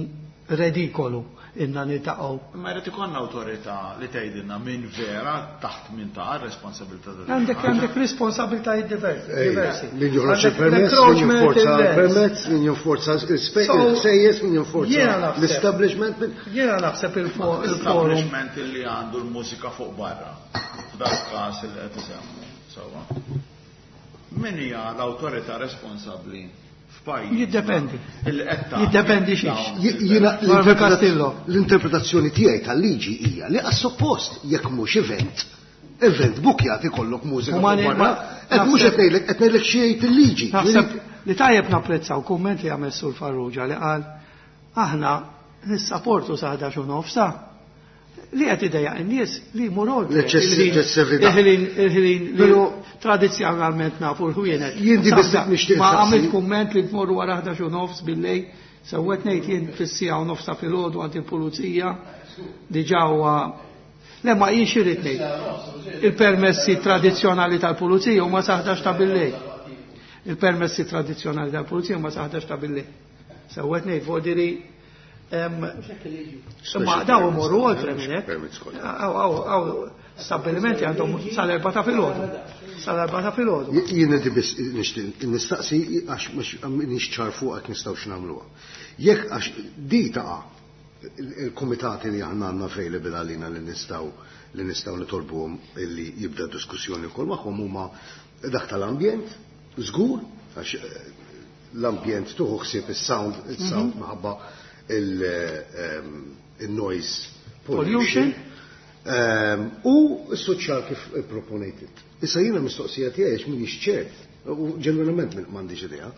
redikolu inna niltaqgħu. Imma jrid ikollna awtorità li tgħidilna min vera taħt min ta' responsabilità ta' Għandek għandek responsabiltajiet diversi. Min joħroġ il-permess, min jinforza il-permess, min jinforza il-sejjes, min jinforza l-establishment. Jiena naħseb il-forum. L-establishment li għandu l-mużika fuq barra. F'dak każ li qed isemmu. Sewwa. Min hija l-awtorità responsabbli f'pajjiż? Jiddependi. Jiddependi xiex. Jiena l-interpretazzjoni tiegħi tal-liġi hija li għas-suppost jekk mhux event, event bukjat ikollok mużika barra, qed mhux qed ngħidlek qed ngħidlek xi jgħid il-liġi. Naħseb li tajjeb napprezzaw kumment li għamel Sur Farrugia li qal aħna nissaportu sa 11 u nofsa li qed idejjaq in-nies li jmur oltre. L-eċċessività. Il-ħin li tradizzjonalment nafu l-ħwienet. Jien di biss nixtieq. Ma għamilt kumment li tmorru wara 11 u nofs billejl, sewwet ngħid jien fis-siegħa u nofs ta' filgħodu għand il-pulizija diġà huwa Le ma jien xi rrid ngħid. Il-permessi tradizzjonali tal-pulizija huma sa 11 ta' billejl. Il-permessi tradizzjonali tal-pulizija huma sa 11 ta' billejl. Sewwet ngħid vodiri Imma daw imorru oltre minn hekk. Hawn stabbilimenti għandhom sal-4 ta' filgħodu. Sal-4 ta' filgħodu. Jien inti biss nixtieq nistaqsi għax mhux ċar fuq hekk nistgħux nagħmluha. Jekk għax di taqa' il-kumitati li aħna għandna available għalina li nistgħu nitolbuhom illi jibda diskussjoni wkoll magħhom huma dak tal-ambjent, żgur, għax l-ambjent tieħu ħsieb is-sound minħabba il-noise pollution. U s-soċjal kif proponejt. Issa jiena mistoqsija tiegħi għax m'iniex ċert, u ġenwinament m'għandix idea,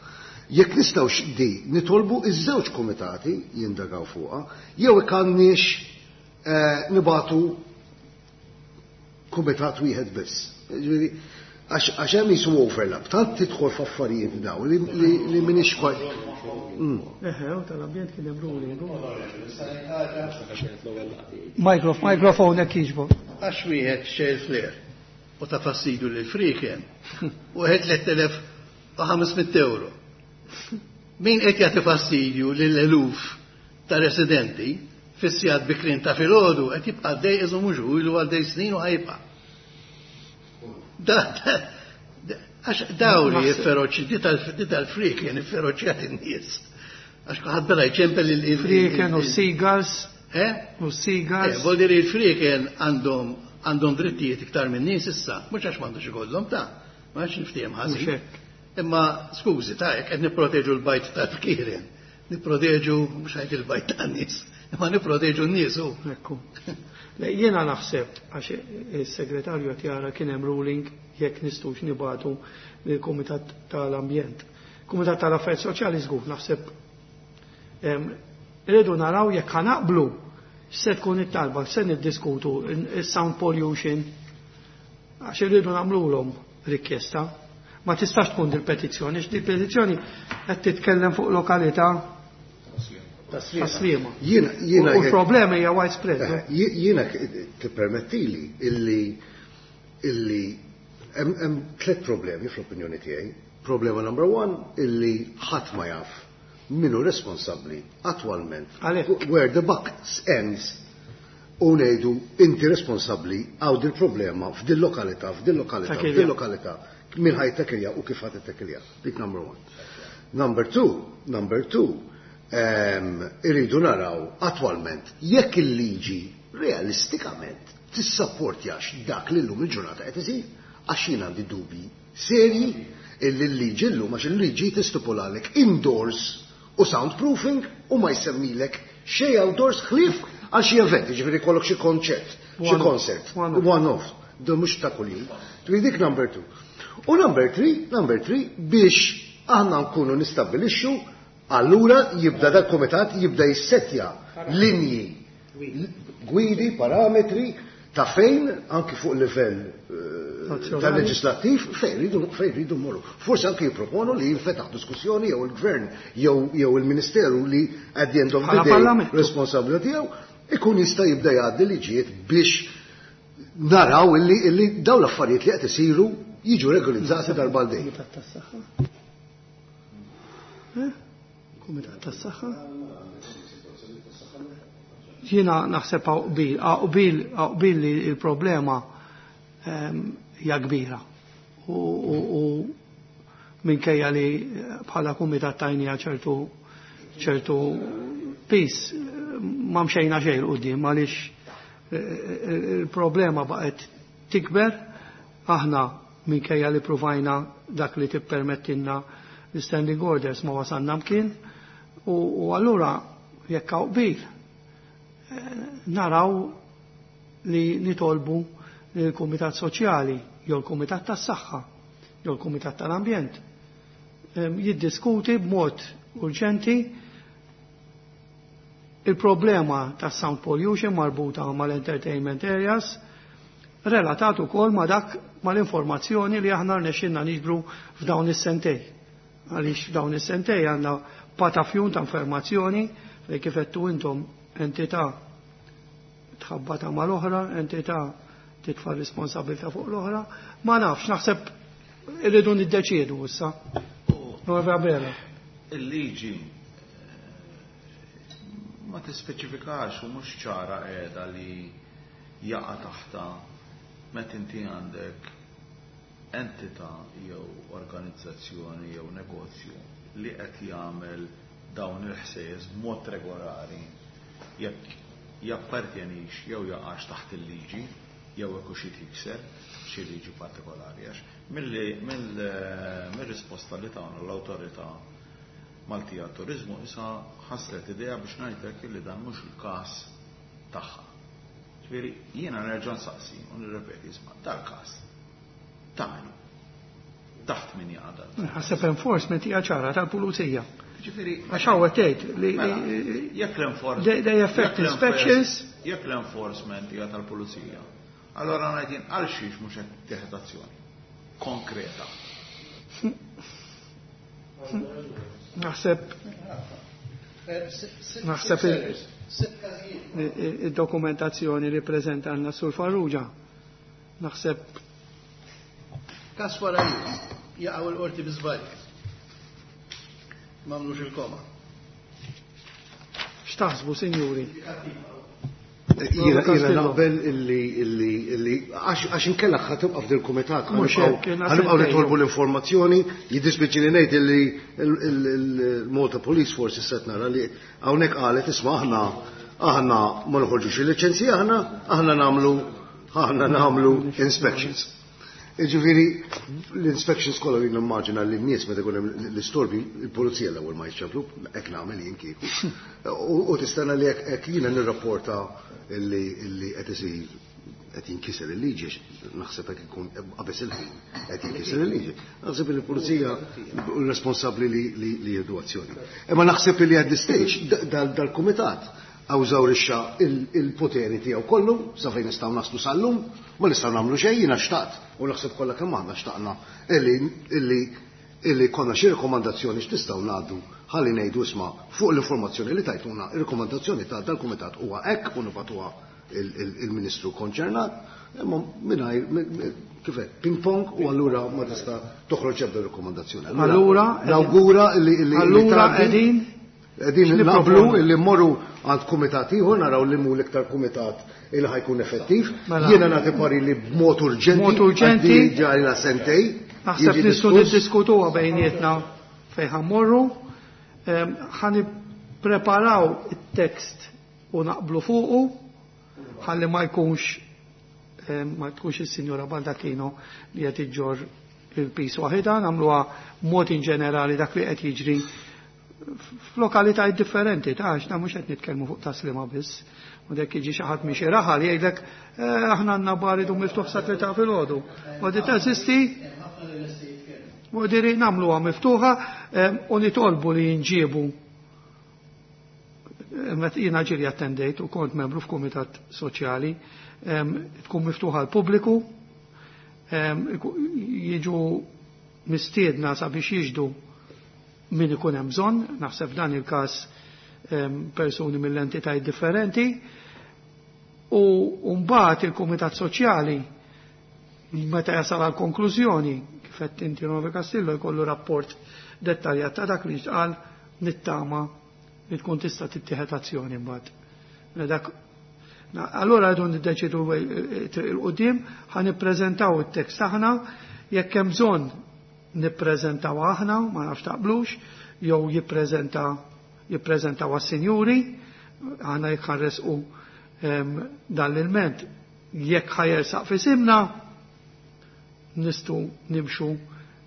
jekk nistgħux di nitolbu iż-żewġ komitati jindagaw fuqha, jew għandniex nibagħtu kumitat wieħed biss. Ġifieri, għax hemm jisu overlap, tant tidħol f'affarijiet daw li m'iniex kwajt. Eħe, u tal-ambjent kien hemm ruling. Mikrofon hekk jiġbu. Għax wieħed xejl flare u ta' fastidu lil friken u għed 3500 euro. Min qed jagħti fastidju lil eluf ta' residenti fis-sigħat bikrin ta' filgħodu qed jibqa' għaddej iżu mhux hu ilu għaddej snin u ħa jibqa'. Għax daw li jifferoċi, di tal-friken ifferoċjat in-nies. Għax ħadd bela jċempel il- Friken u seagulls. Eh? U seagulls. Vuol dire il-friken għandhom drittijiet iktar minn nies issa, mhux għax m'għandux ikollhom ta' ma għax niftiehem ħażin. Mhux hekk. Imma skużi, ta' jekk qed nipproteġu l-bajd tal-fkieren, nipproteġu mhux ħajt il-bajd tan-nies, imma nipproteġu n-nies u. Ekku. Le, jiena naħseb għax is-segretarju qed jara kien hemm ruling jekk nistgħux nibagħtu lill-Kumitat tal-Ambjent. Kumitat tal-Affarijiet Soċjali żgur naħseb irridu naraw jekk ħa naqblu se tkun it-talba, se niddiskutu is-sound pollution għax irridu nagħmluhom rikjesta. Ma tistax tkun dil-petizzjoni, għax dil-petizzjoni qed titkellem fuq lokalità Tas-Sliema. Jiena U l-problema hija widespread. Jiena tippermettili illi hemm tliet problemi fl-opinjoni tiegħi. Problema number one illi ħadd ma jaf min hu responsabbli attwalment Għalhekk. where the buck ends u ngħidu inti responsabbli għaw dil problema f'dil lokalità, f'dil lokalità, Takilja. f'dil lokalità, min ħa jittekilja u kif ħa tittekilja. Dik number one. Number two, irridu naraw attwalment jekk il-liġi realistikament tissapportjax dak li llum il-ġurnata qed isir, għax jien għandi dubji serji illi l-liġi llum, għax il-liġi tistipulalek indoors u soundproofing u ma jsemmilek xej outdoors ħlief għal xi event, jiġifieri jkollok xi konċert, xi One off. concert, One off. one off, do mhux ta' kuljum. Trid dik number two. U number three, biex aħna nkunu nistabbilixxu, allura jibda dak komitat jibda jissetja linji, gwidi, parametri ta' fejn anki fuq livell Nazzjonali. tal-leġislattiv fejn ridu mmorru. Forsi anki jipproponu li jinfetaħ diskussjoni jew il-gvern jew il-ministeru li at the end of the Bħala day parlament. responsabilità tiegħu ikun jista' jibda jgħaddi liġijiet biex naraw illi dawn l-affarijiet li qed isiru jiġu regolizzati darba għal dejjem. Kumitat tas-Saħħa. Eh? Kumitat tas-Saħħa. Jiena naħseb hawn qbil li il-problema hija kbira. U minkejja li bħala kumitat tajnija ċertu pis ma mxejna xejn 'l quddiem għaliex il-problema baqgħet tikber. Aħna minkejja li provajna dak li tippermettilna l-standing orders ma wasalna mkien u allura jekk hawn qbil naraw li nitolbu l-Kumitat Soċjali jew l-Kumitat tas-Saħħa jew l-Kumitat tal-Ambjent jiddiskuti b'mod urġenti il-problema tas sound pollution marbuta mal-entertainment areas relatat ukoll ma dak mal-informazzjoni li aħna rnexxinna niġbru f'dawn is-sentej. Għaliex f'dawn is-sentej għandna patafjun ta' informazzjoni fejn kif għedtu intom entità tħabbata mal-oħra, entità titfa' responsabilità fuq l-oħra, ma nafx, naħseb irridu niddeċiedu issa. Nueva Bella. Il-liġi. Ma tispeċifikax u mhux ċara qiegħda li jaqa' taħta meta inti għandek entità jew organizzazzjoni jew negozju li qed jagħmel dawn il-ħsejjes b'mod regolari jekk jappartjenix jew jaqax taħt il-liġi jew hekk hux jikser xi liġi partikolari, għax mill-risposta li tagħna l-Awtorità Maltija Turiżmu issa ħaslet idea biex ngħidlek li dan mhux il-każ tagħha. Ġifieri jiena nerġa' nsaqsi u nirrepeti, isma' dal-każ ta' min? Taħt min jaqa' dal? Naħseb enforcement hija ċara tal-pulizija. Ġifieri għax hawn tgħid li mela, jekk l-enforcement they affect inspections. Jekk l-enforcement hija tal-pulizija, allora ngħid jien għal xiex mhux qed tieħed azzjoni konkreta. Naħseb id-dokumentazzjoni li preżentanna Sur Farrugia naħseb Kas wara jaqgħu l-qorti bi żball. M'għamlux il-koma. X'taħsbu, sinjuri? Jiena naqbel illi għax inkella ħa tibqa' f'dil kumitat Mhux hekk, jiena ħa nibqgħu sentejn. nitolbu l-informazzjoni, jiddispjaċini ngħid illi il-Malta Police Force issa qed nara li hawnhekk qalet, isma', aħna ma noħorġux il-liċenzji, aħna nagħmlu inspections. Ġifieri, l-inspections kollha li nimmaġina li n-nies meta jkun hemm l-istorbi, il-pulizija l-ewwel ma jċemplu, hekk nagħmel jien kieku. U tistenna li hekk jiena nirrapporta illi qed isir, qed jinkiser il-liġi, naħseb hekk ikun qabeż il-ħin qed jinkiser il-liġi. Naħseb li l-pulizija responsabbli li jieħdu azzjoni. Imma naħseb li at this stage dal-kumitat eżawrixxa il-poteri tiegħu kollu sa fejn nistgħu naslu sal-lum, ma nistgħu nagħmlu xejn. Jiena xtaqt u naħseb kollha kemm aħna xtaqna illi konna xi rekomandazzjoni x'tistgħu ngħaddu ħalli ngħidu, isma', fuq l-informazzjoni li tajtuna, ir-rekomandazzjoni ta' dal-kumitat huwa hekk u nibagħtuha il-Ministru konċernat, imma mingħajr kif hekk, ping pong, u allura ma tista' toħroġ ebda rekomandazzjoni. Nawgura illi Allura tgħaddi. qegħdin Qegħdin X'niproponu? naqblu illi mmorru għand kumitat ieħor, naraw li mu l-iktar kumitat illi ħa jkun effettiv. Mela. Jiena nagħti pari li b'mod urġenti. Mod urġenti. Għaddi ġari la sentej. Naħseb jiġi nistgħu diskuss. niddiskutuha bejnietna fejn ħa mmorru. Ħa nippreparaw it-tekst u naqblu fuqu ħalli ma tkunx is-Sinjora Baldacchino li qed iġġor il-pis waħida, nagħmluha mod in ġenerali dak li qed jiġri f'lokalitajiet differenti, ta' għax mhux qed nitkellmu fuq Tas-Sliema biss. U dek jiġi xi ħadd minn xi raħal jgħidlek, aħna għandna bar idu miftuħ sa 3 filgħodu. U di teżisti. U diri nagħmluha miftuħa u nitolbu li jinġiebu. Met jiena ġiri attendejt u kont membru f'kumitat soċjali, tkun miftuħa l-pubbliku, jiġu mistiedna sabiex jiġdu min ikun hemm bżonn, naħseb f'dan il-każ persuni mill-entitajiet differenti, u mbagħad il-Kumitat Soċjali meta jasal għal konklużjoni, kif qed inti, Novi Castillo, jkollu rapport dettaljat ta' dak li ġqal, nittama li tkun tista' tittieħed azzjoni mbagħad. Mela allora għadu niddeċidu triq il-qudiem, ħa nippreżentaw it-tekst aħna, jekk hemm bżonn nippreżentaw aħna, ma nafx taqblux, jew jippreżentaw għas-sinjuri, aħna jekk ħa nressqu dan l-ilment, jekk ħa jersaq f'isimna, nistgħu nimxu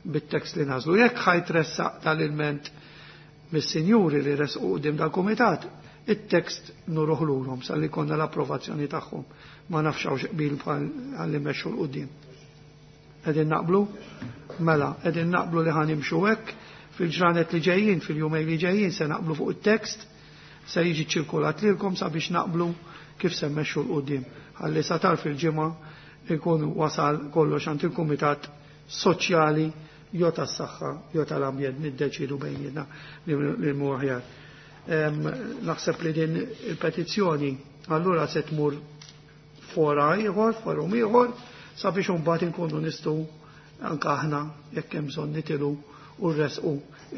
bit-tekst li nażlu. Jekk ħa jitressaq tal-ilment mis-sinjuri li resqu quddiem dal-kumitat, it-tekst nuruh lurhom sal-li konna l-approvazzjoni tagħhom. Ma nafx hawnx qbil għalli mexxu 'l quddiem. Qegħdin naqblu? Mela, qegħdin naqblu li ħa nimxu hekk fil-ġranet li ġejjin, fil-jumej li ġejjin se naqblu fuq it-tekst, se jiġi ċirkulat lilkom sabiex naqblu kif se mmexxu 'l quddiem. Ħalli sa tarf il-ġimgħa ikun wasal kollox għand il-Kumitat Soċjali jew tas-saħħa jew tal-ambjent, niddeċidu bejnietna li mu aħjar. Naħseb li din il-petizzjoni allura se tmur fora ieħor, forum ieħor, sabiex imbagħad inkunu nistgħu anke aħna jekk hemm bżonn nitilu u rresqu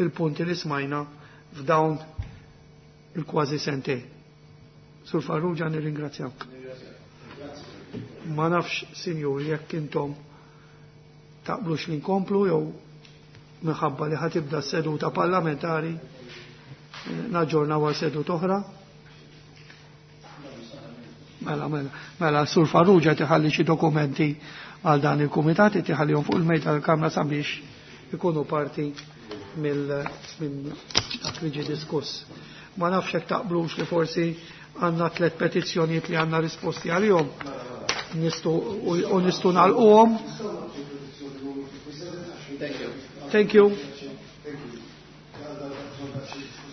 il-punti li smajna f'dawn il-kważi sentejn. Sur Farrugia, nirringrazzjawk. Ma nafx, sinjur, jekk intom taqblux li nkomplu jew minħabba li ħa tibda seduta parlamentari naġġornaw għal seduta oħra. Mela, mela, mela, Sur Farrugia tħalli xi dokumenti għal dan il-kumitat, tħallihom fuq il-mejda tal-Kamra sabiex ikunu parti minn dak li ġie diskuss. Ma nafx hekk taqblux li forsi għandna tliet petizzjonijiet li għandna risposti għalihom nistgħu u nistgħu nagħlquhom. Thank you.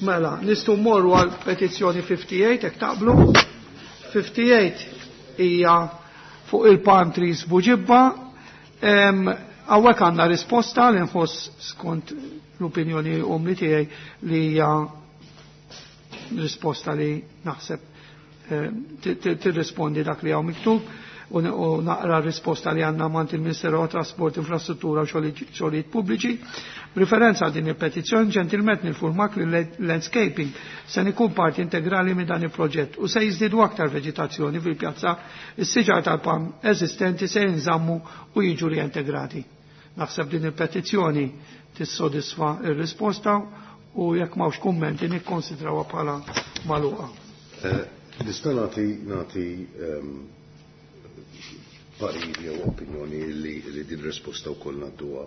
Mela, nistgħu mmorru għal petizzjoni 58 hekk taqblu. 58 hija fuq il-palm trees Buġibba. Hawnhekk għandna risposta li nħoss skont l-opinjoni umli tiegħi li hija risposta li naħseb tirrispondi dak li hawn miktub u naqra risposta li għandna mant il-Ministeru għat Trasport, Infrastruttura u Xogħlijiet Pubbliċi. Riferenza għal din il-petizzjoni, ġentilment ninfurmak li landscaping se ikun parti integrali minn dan il-proġett u se jiżdiedu aktar veġitazzjoni fil-pjazza, is-siġar tal-palm eżistenti se jinżammu u jiġu reintegrati. Naħseb din il-petizzjoni tissodisfa il-risposta u jekk m'hawnx kummenti nikkonsidrawha bħala magħluqa. Nista' nagħti parir jew opinjoni li din risposta wkoll ngħadduha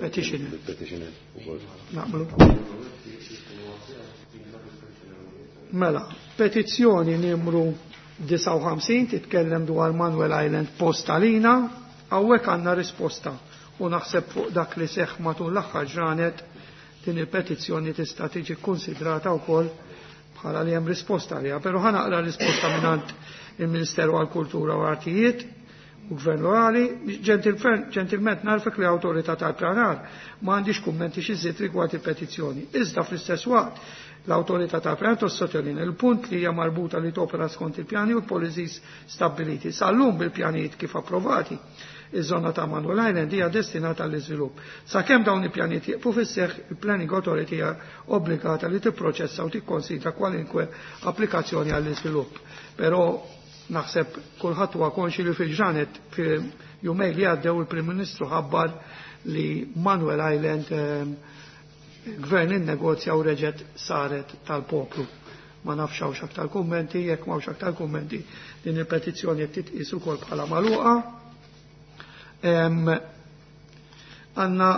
Petitioner. il-petitioner ukoll. Naqblu. Mela, petizzjoni numru 59 titkellem dwar Manuel Island Postalina, hawnhekk għandna risposta u naħseb fuq dak li seħ matul l-aħħar ġranet din il-petizzjoni tista' tiġi konsidrata wkoll bħala li hemm risposta għaliha, però ħa naqra risposta mingħand il-Ministeru għall-Kultura u Artijiet u Gvern Lokali. Ġentilment ngħarrfek li awtorità tal-pjanar ma għandix kummenti xi żied rigward il-petizzjoni. Iżda fl-istess waqt l-awtorità tal-pjanar tossottolinea il-punt li hija marbuta li topera skont il-pjani u l-policies stabiliti. Sal-lum bil-pjanijiet kif approvati, iż-żona ta' Manuel Island hija destinata għall-iżvilupp. Sakemm dawn il-pjanijiet jieqfu fis-seħħ, il-Planning Authority hija obbligata li tipproċessa u tikkonsidra kwalinkwe applikazzjoni għall-iżvilupp. Però naħseb kulħadd huwa konxi li fil-ġranet fil-jumej li għaddew il-Prim Ministru ħabbar li Manuel Island gvern innegozja u reġet saret tal-poplu. Ma nafx hawnx aktar kummenti, jekk m'hawnx aktar kummenti din il-petizzjoni qed titqis ukoll bħala magħluqa. Għandna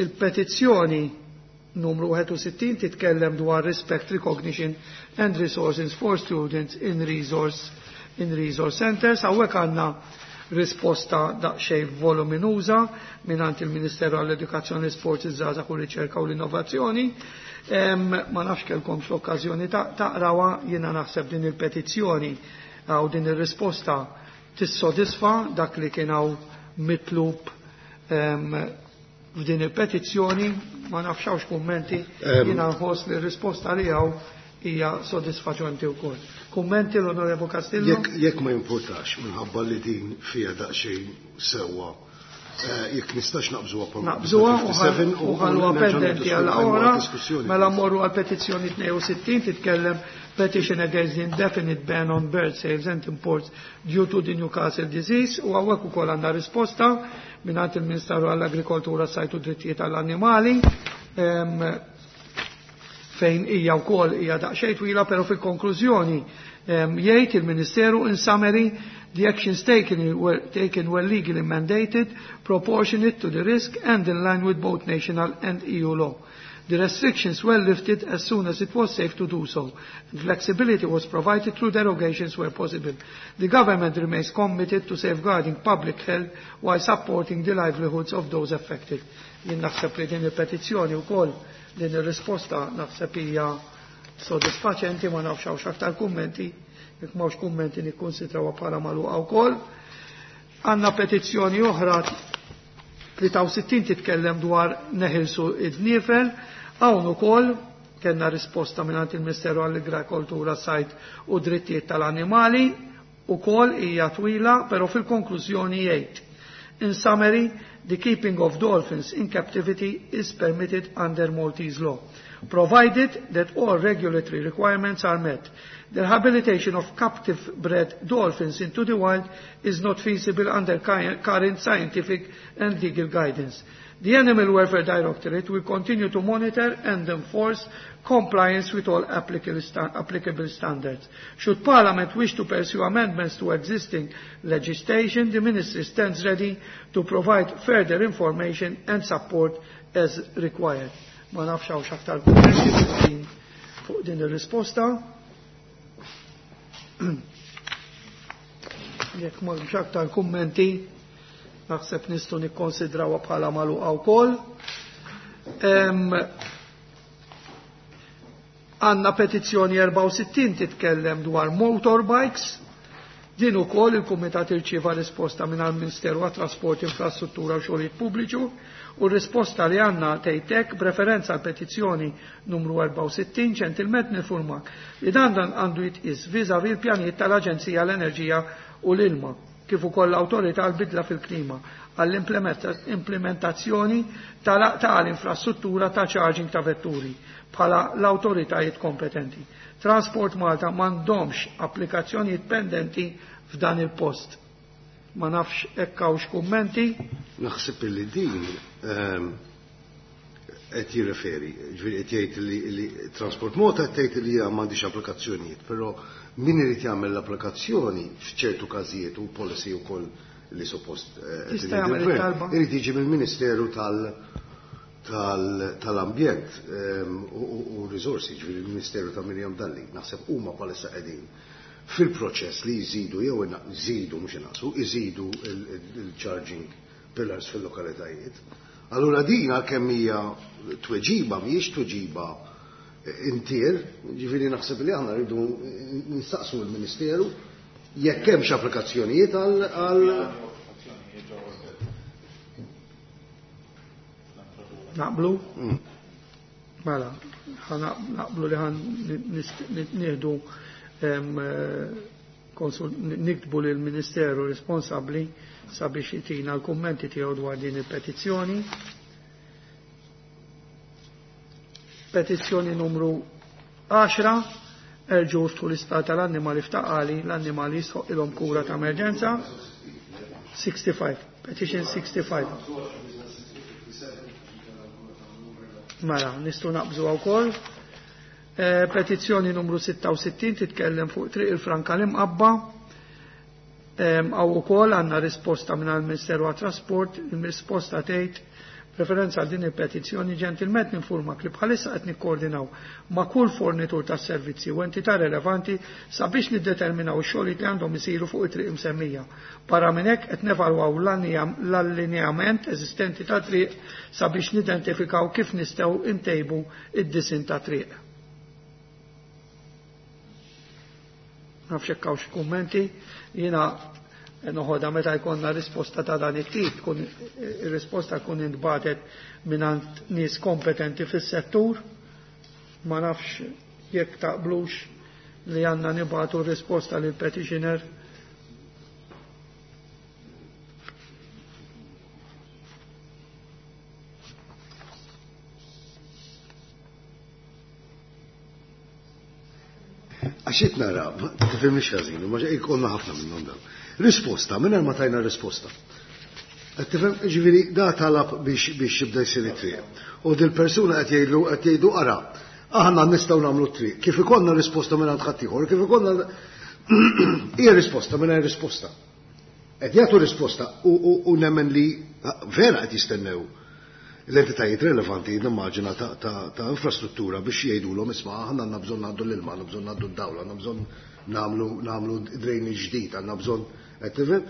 il-petizzjoni numru 61 titkellem dwar respect, recognition and resources for students in resource centers. Hawnhekk għandna risposta daqsxejn voluminuża mingħand il-Ministeru għall-Edukazzjoni, Sport, iż-Żgħażagħ u Riċerka u l-Innovazzjoni. Ma nafx kellkom l-okkażjoni taqrawha, jiena naħseb din il-petizzjoni għaw din ir-risposta tissodisfa dak li kien hawn mitlub f'din il-petizzjoni, ma nafx hawnx kummenti, jiena nħoss li r-risposta li hawn hija sodisfaċenti wkoll. Kummenti, l-Onorevo Castillo? Jekk ma jimpurtax, minħabba li din fija daqsxejn sewwa, jekk nistax naqbżuha pa' Naqbżuha 57 u ħalluha nerġgħu pendenti għal niddiskutu oħra, diskussjoni. Mela mmorru għal petizzjoni 62, titkellem petition against the indefinite ban on bird sales and imports due to the Newcastle disease, u hawnhekk ukoll għandna risposta mingħand il-Ministeru għall-Agrikoltura, Sajd u Drittijiet għall-Annimali, fejn hija wkoll hija daqsxejn twila, però fil-konklużjoni jgħid il-Ministeru: "In summary, the actions taken were legally mandated, proportionate to the risk and in line with both national and EU law. The restrictions were lifted as soon as it was safe to do so, and flexibility was provided through derogations where possible. The government remains committed to safeguarding public health while supporting the livelihoods of those affected." Jien naħseb li din il-petizzjoni wkoll din ir-risposta naħseb hija sodisfaċenti, ma nafx hawnx aktar kummenti, jekk m'hawnx kummenti nikkonsidrawha bħala magħluqa wkoll. Għandna petizzjoni oħra, 63, titkellem dwar neħilsu id-dniefel, hawn ukoll kellna risposta mingħand il-Ministeru għall-Agrikoltura, Sajd u Drittijiet tal-Annimali, ukoll hija twila, però fil-konklużjoni jgħid: "In summary, The keeping of dolphins in captivity is permitted under Maltese law, provided that all regulatory requirements are met. The rehabilitation of captive bred dolphins into the wild is not feasible under current scientific and legal guidance. The Animal Welfare Directorate will continue to monitor and enforce compliance with all applicable, sta applicable standards. Should Parliament wish to pursue amendments to existing legislation, the Ministry stands ready to provide further information and support as required. Ma nafx hawnx aktar kummenti fuq din ir-risposta. Jekk m'hemmx aktar kummenti, naħseb nistgħu nikkonsidrawha bħala magħluqa wkoll. Għandna petizzjoni 64 titkellem dwar motorbikes. Din ukoll il-Kumitat irċieva risposta minn ministeru għat-Trasport, Infrastruttura u Xogħlijiet Pubbliċu u r-risposta li għandna tgħid b'referenza għal petizzjoni numru 64 ġentilment nifurmak li dan dan għandu jitqis vis-à-vis l-pjanijiet tal-Aġenzija l-Enerġija u l-Ilma kif ukoll l-Awtorità għall-Bidla fil-Klima għall-implementazzjoni tal-infrastruttura ta' charging ta' vetturi bħala l-awtoritajiet kompetenti. Transport Malta m'għandhomx applikazzjonijiet pendenti f'dan il-post. Ma nafx hekk hawnx kummenti. Naħseb li din qed jirreferi, ġifieri qed jgħid li Transport Malta qed tgħid li hija m'għandix applikazzjonijiet, però min irid jagħmel l-applikazzjoni f'ċertu każijiet u policy wkoll li suppost Jista' jagħmel it-talba. Irid jiġi mill-Ministeru tal-Ambjent u Risorsi, ġifieri il-Ministeru ta' Miriam Dalli, naħseb huma bħalissa qegħdin fil-proċess li jżidu jew jżidu mhux inaqqsu, iżidu il-charging pillars fil-lokalitajiet. Allura din għalkemm hija tweġiba mhijiex tweġiba intier, ġifieri naħseb li aħna rridu nistaqsu l-Ministeru jekk hemmx applikazzjonijiet għal Naqblu? Mela, naqblu li ħan nieħdu niktbu lill ministeru responsabbli sabiex jitina l-kummenti tiegħu dwar din il-petizzjoni. Petizzjoni numru 10, erġgħu ftħu l-istat tal-annimali f'taqali, l-annimali jistħoq ilhom kura ta' emerġenza. 65, petition 65. Mela, nistgħu naqbżu wkoll. Petizzjoni numru 66 titkellem fuq Triq il-Franka l-Imqabba. Hawn ukoll għandna risposta minn għall-Ministeru għat-Trasport, il-risposta tgħid referenza għal din il-petizzjoni ġentilment ninformak li bħalissa qed nikkoordinaw ma' kull fornitur ta' servizzi u entità relevanti sabiex niddeterminaw ix-xogħlijiet li għandhom isiru fuq it-triq imsemmija. Barra minn hekk qed nevalwaw l-allineament eżistenti ta' triq sabiex nidentifikaw kif nistgħu ntejbu id-disin ta' triq. Nafx hekk hawn xi kummenti, jiena noħodha meta jkollna risposta ta' dan it-tip, tkun ir-risposta tkun intbatet mingħand nies kompetenti fis-settur, ma nafx jekk taqblux li għandna nibgħatu risposta lil petitioner. Għax qed nara, tifhimniex ħażin, ma jkollna ħafna minnhom dawn. Risposta, mingħajr ma tajna risposta. Qed tifhem, ġifieri da talab biex jibda jsir it-triq. U dil-persuna qed jgħidlu qed jgħidu ara, aħna nistgħu nagħmlu t-triq. Kif ikollna risposta mingħand ħaddieħor, kif ikollna hija risposta mingħajr risposta. Qed jagħtu risposta u nemmen li vera qed jistennew l-entitajiet relevanti nimmaġina ta' infrastruttura biex jgħidulhom isma' aħna għandna bżonn ngħaddu l-ilma, għandna bżonn ngħaddu d-dawl, għandna bżonn nagħmlu drainage ġdid, għandna bżonn qed tifhem.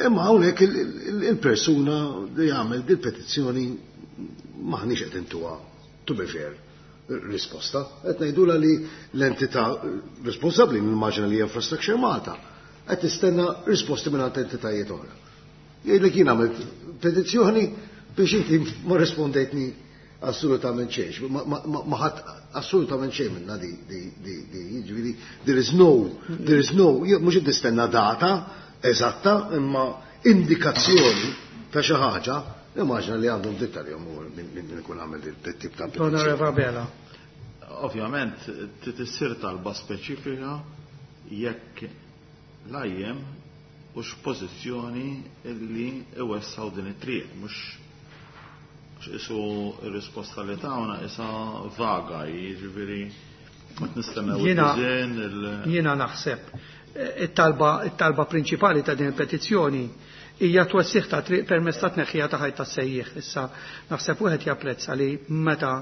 Imma hawnhekk il-persuna li jagħmel dil-petizzjoni maħniex qed intuha, to be fair, risposta. Qed ngħidulha li l-entità responsabbli nimmaġina li Infrastructure Malta qed tistenna risposti minn entitajiet oħra. Jgħidlek jien għamilt petizzjoni biex inti ma rispondejtni assolutament xejn, ma ħadd assolutament xejn minna di jiġifieri there is no, there is no, mhux qed nistenna data eżatta, imma indikazzjoni. ta' xi ħaġa, immaġina li għandhom dritt għalihom min ikun għamel dit tip ta' petizzjoni. L-Onorevoli Abela. Ovvjament, trid issir talba speċifika jekk l-IM hux f'pożizzjoni illi iwessgħu din it-triq, mhux qisu r-risposta li tawna qisha vaga, jiġifieri qed nistennew id-disinn. Jiena naħseb it-talba it-talba prinċipali ta' din il-petizzjoni hija twessiħ ta' triq permezz ta' tneħħija ta' ħajt tas-sejjieħ. Issa naħseb wieħed japprezza li meta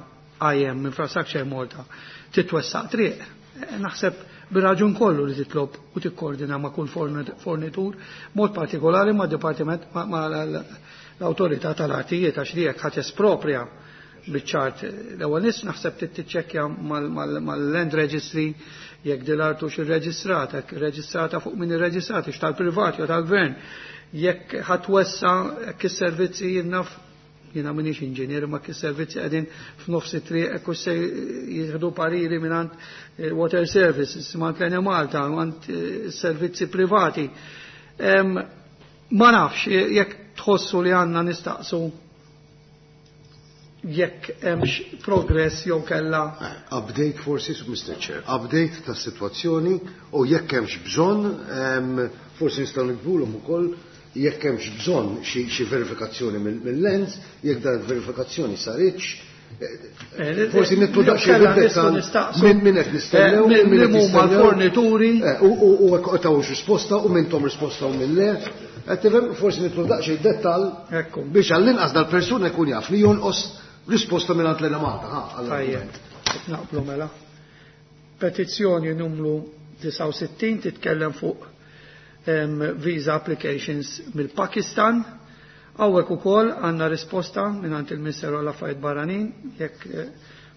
IM Infrastructure Malta titwessaq triq, naħseb bir-raġun kollu li titlob u tikkoordina ma' kull fornitur, mod partikolari ma' dipartiment ma' l-awtorità tal-artijiet għax li jekk ħa tesproprja biċ-ċart l-ewwel nies naħseb trid tiċċekkja mal-land registry jekk din l-art hux irreġistrata, jekk irreġistrata fuq min irreġistrata, hux tal-privat jew tal-gvern. Jekk ħa twessa' jekk is-servizzi jien naf jiena m'iniex inġinier imma jekk is-servizzi qegħdin f'nofs it-triq hekk hux se jieħdu pariri mingħand water services, mingħand l-Enemalta, mingħand servizzi privati. Ma nafx jekk tħossu li għandna nistaqsu jekk hemmx progress jew kella. Update forsi, Mr. Chair, update tas-sitwazzjoni u jekk hemmx bżonn, forsi nistgħu nikbulhom ukoll jekk hemmx bżonn xi verifikazzjoni mill-lens, jekk dan verifikazzjoni saritx, forsi nitlu daqsxejn fid-dettall minn min qed nistennew, minn min qed huma l-fornituri. U hekk tawx risposta u minn tom risposta u minn le. Qed tifhem forsi nitlu daqsxejn dettall biex għall-inqas dal-persuna jkun jaf li jonqos risposta minn għand l-Enemalta. Tajjeb, naqblu mela. Petizzjoni numru 69 titkellem fuq visa applications mill-Pakistan. Hawnhekk ukoll għandna risposta mingħand il-Ministeru għall Affarijiet Barranin jekk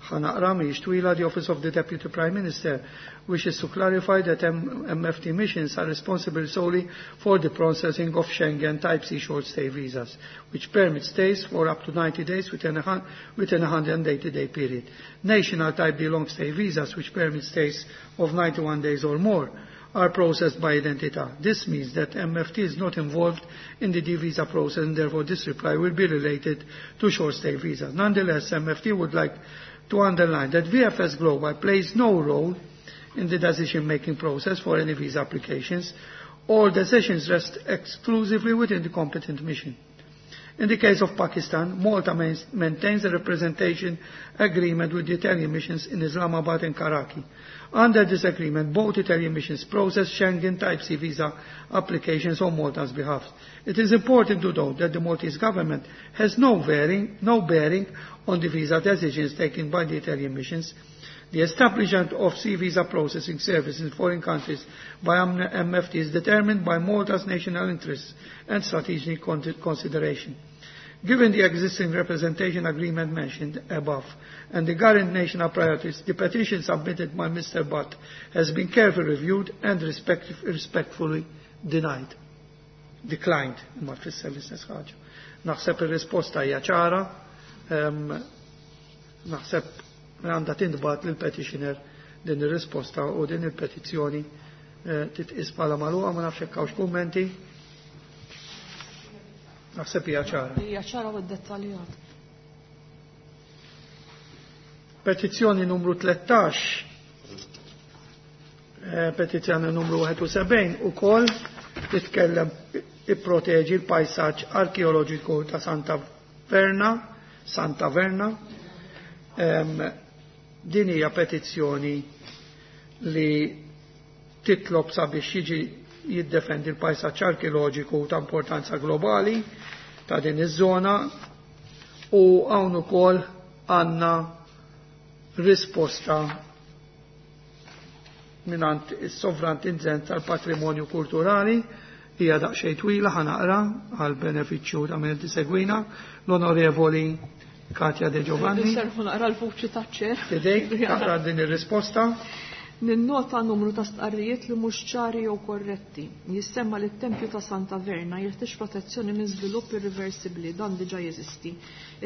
ħa naqra mhijiex twila. The Office of the Deputy Prime Minister wishes to clarify that MFT missions are responsible solely for the processing of Schengen Type C short stay visas, which permit stays for up to 90 days within a 180-day period. National Type D long stay visas, which permit stays of 91 days or more, are processed by Identità. This means that MFT is not involved in the D visa process and therefore this reply will be related to short stay visas. Nonetheless, MFT would like to underline that VFS Global plays no role in the decision-making process for any visa applications. All decisions rest exclusively within the competent mission. In the case of Pakistan, Malta maintains a representation agreement with the Italian missions in Islamabad and Karachi. Under this agreement, both Italian missions process Schengen Type C visa applications on Malta's behalf. It is important to note that the Maltese government has no bearing, no bearing on the visa decisions taken by the Italian missions. The establishment of C visa processing service in foreign countries by MFT is determined by Malta's national interests and strategic consideration. Given the existing representation agreement mentioned above and the current national priorities, the petition submitted by Mr. Butt has been carefully reviewed and respectfully denied. Declined, ma tfisser l-istess ħaġa. Naħseb ir-risposta hija ċara, naħseb għandha tintbagħat lill-petitioner din ir-risposta u din il-petizzjoni titqis bħala magħluqa ma nafx hekk hawnx kummenti. Naħseb hija ċara. Hija ċara u ddettaljat. Petizzjoni numru 13, petizzjoni numru 71 ukoll titkellem ipproteġi l-pajsaġġ arkeoloġiku ta' Santa Verna, Santa Verna. Din hija petizzjoni li titlob sabiex jiġi jiddefendi l-pajsaġġ arkeoloġiku ta' importanza globali ta' din iż-żona u hawn ukoll għandna risposta mingħand is-Sovrintendent tal-Patrimonju Kulturali hija daqsxejn twila ħa naqra għal benefiċċju ta' min tisegwina l-Onorevoli Katja De Giovanni. Nserħu naqra l-vuċi taċ-chair. Fidejk, taqra din ir-risposta. Ninnota numru ta' stqarrijiet li mhux ċari jew korretti. Jissemma li t-tempju ta' Santa Verna jeħtieġ protezzjoni minn żvilupp irriversibbli, dan diġà jeżisti.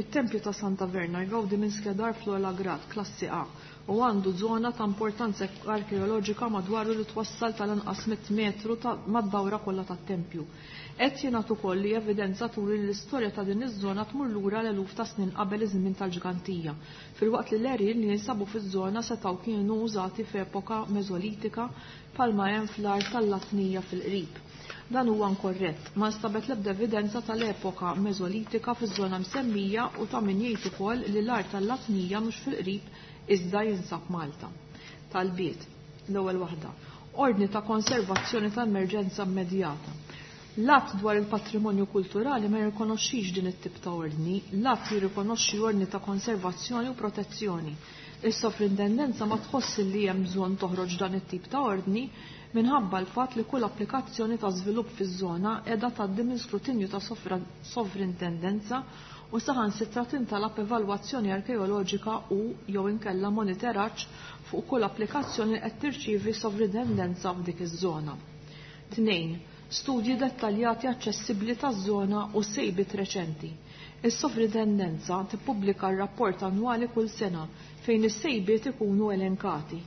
It-tempju ta' Santa Verna jgawdi minn skedar fl-ogħla grad, klassi A, u għandu żona ta' importanza arkeoloġika madwaru li twassal tal-anqas 100 metru mad-dawra kollha tat-tempju. Qed jingħad ukoll li evidenza turi li l-istorja ta' din iż-żona tmur lura l-eluf ta' snin qabel iż-żmien tal-ġgantija, filwaqt li l-għerien li jinsabu fiż-żona setgħu kienu użati f'epoka Mesolitika bħalma hemm fl-art tal-Latnija fil-qrib. Dan huwa inkorrett. Ma nstabet l-ebda evidenza tal-epoka Mesolitika fiż-żona msemmija u ta' min jgħid ukoll li l-art tal-Latnija mhux fil-qrib iżda jinsab Malta. Talbiet. L-ewwel waħda. Ordni ta' konservazzjoni ta' emerġenza immedjata. L-Att dwar il-Patrimonju Kulturali ma jirrikonoxxix din it-tip ta' ordni. L-Att jirrikonoxxi ordni ta' konservazzjoni u protezzjoni. Is-Sovrintendenza ma tħoss li hemm bżonn toħroġ dan it-tip ta' ordni minħabba l-fatt li kull applikazzjoni ta' żvilupp fiż-żona qiegħda tgħaddi minn skrutinju ta' sovrintendenza u saħansitra tintalab evalwazzjoni arkeoloġika u jew inkella monitoraġġ fuq kull applikazzjoni li qed tirċievi sovrintendenza f'dik iż-żona. 2. Studji dettaljati aċċessibbli taż-żona u sejbiet reċenti. Is-sovrintendenza tippubblika r-rapport annwali kull sena fejn is-sejbiet ikunu elenkati.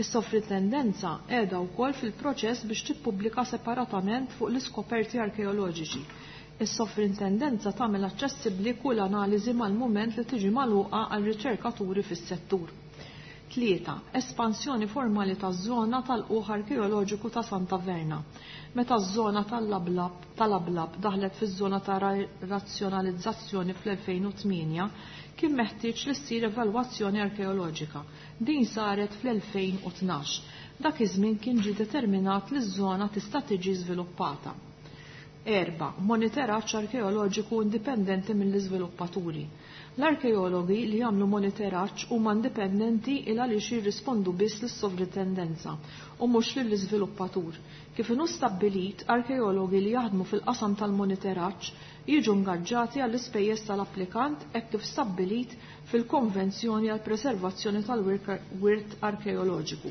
Is-sovrintendenza qiegħda wkoll fil-proċess biex tippubblika separatament fuq l-iskoperti arkeoloġiċi. Is-sovrintendenza tagħmel aċċessibbli kull analiżi mal-mument li tiġi magħluqa għal riċerkaturi fis-settur. 3. Espansjoni formali taż-żona tal-quħ arkeoloġiku ta' Santa Verna. Meta ż-żona tal-Ablab daħlet fiż-żona ta' razzjonalizzazzjoni fl-2008, kien meħtieġ li ssir evalwazzjoni arkeoloġika. Din saret fl-2012. Dak iż-żmien kien ġie determinat li ż-żona tista' tiġi żviluppata. 4. Monitoraġġ arkeoloġiku indipendenti mill-iżviluppaturi. L-arkeologi li jagħmlu monitoraġġ huma indipendenti il għaliex jirrispondu biss lis-sovrintendenza u mhux lill-iżviluppatur. Kif inhu stabbilit, arkeologi li jaħdmu fil-qasam tal-monitoraġġ jiġu ngaġġati għall-ispejjeż tal-applikant hekk kif stabbilit fil-Konvenzjoni għall Preservazzjoni tal-Wirt Arkeoloġiku.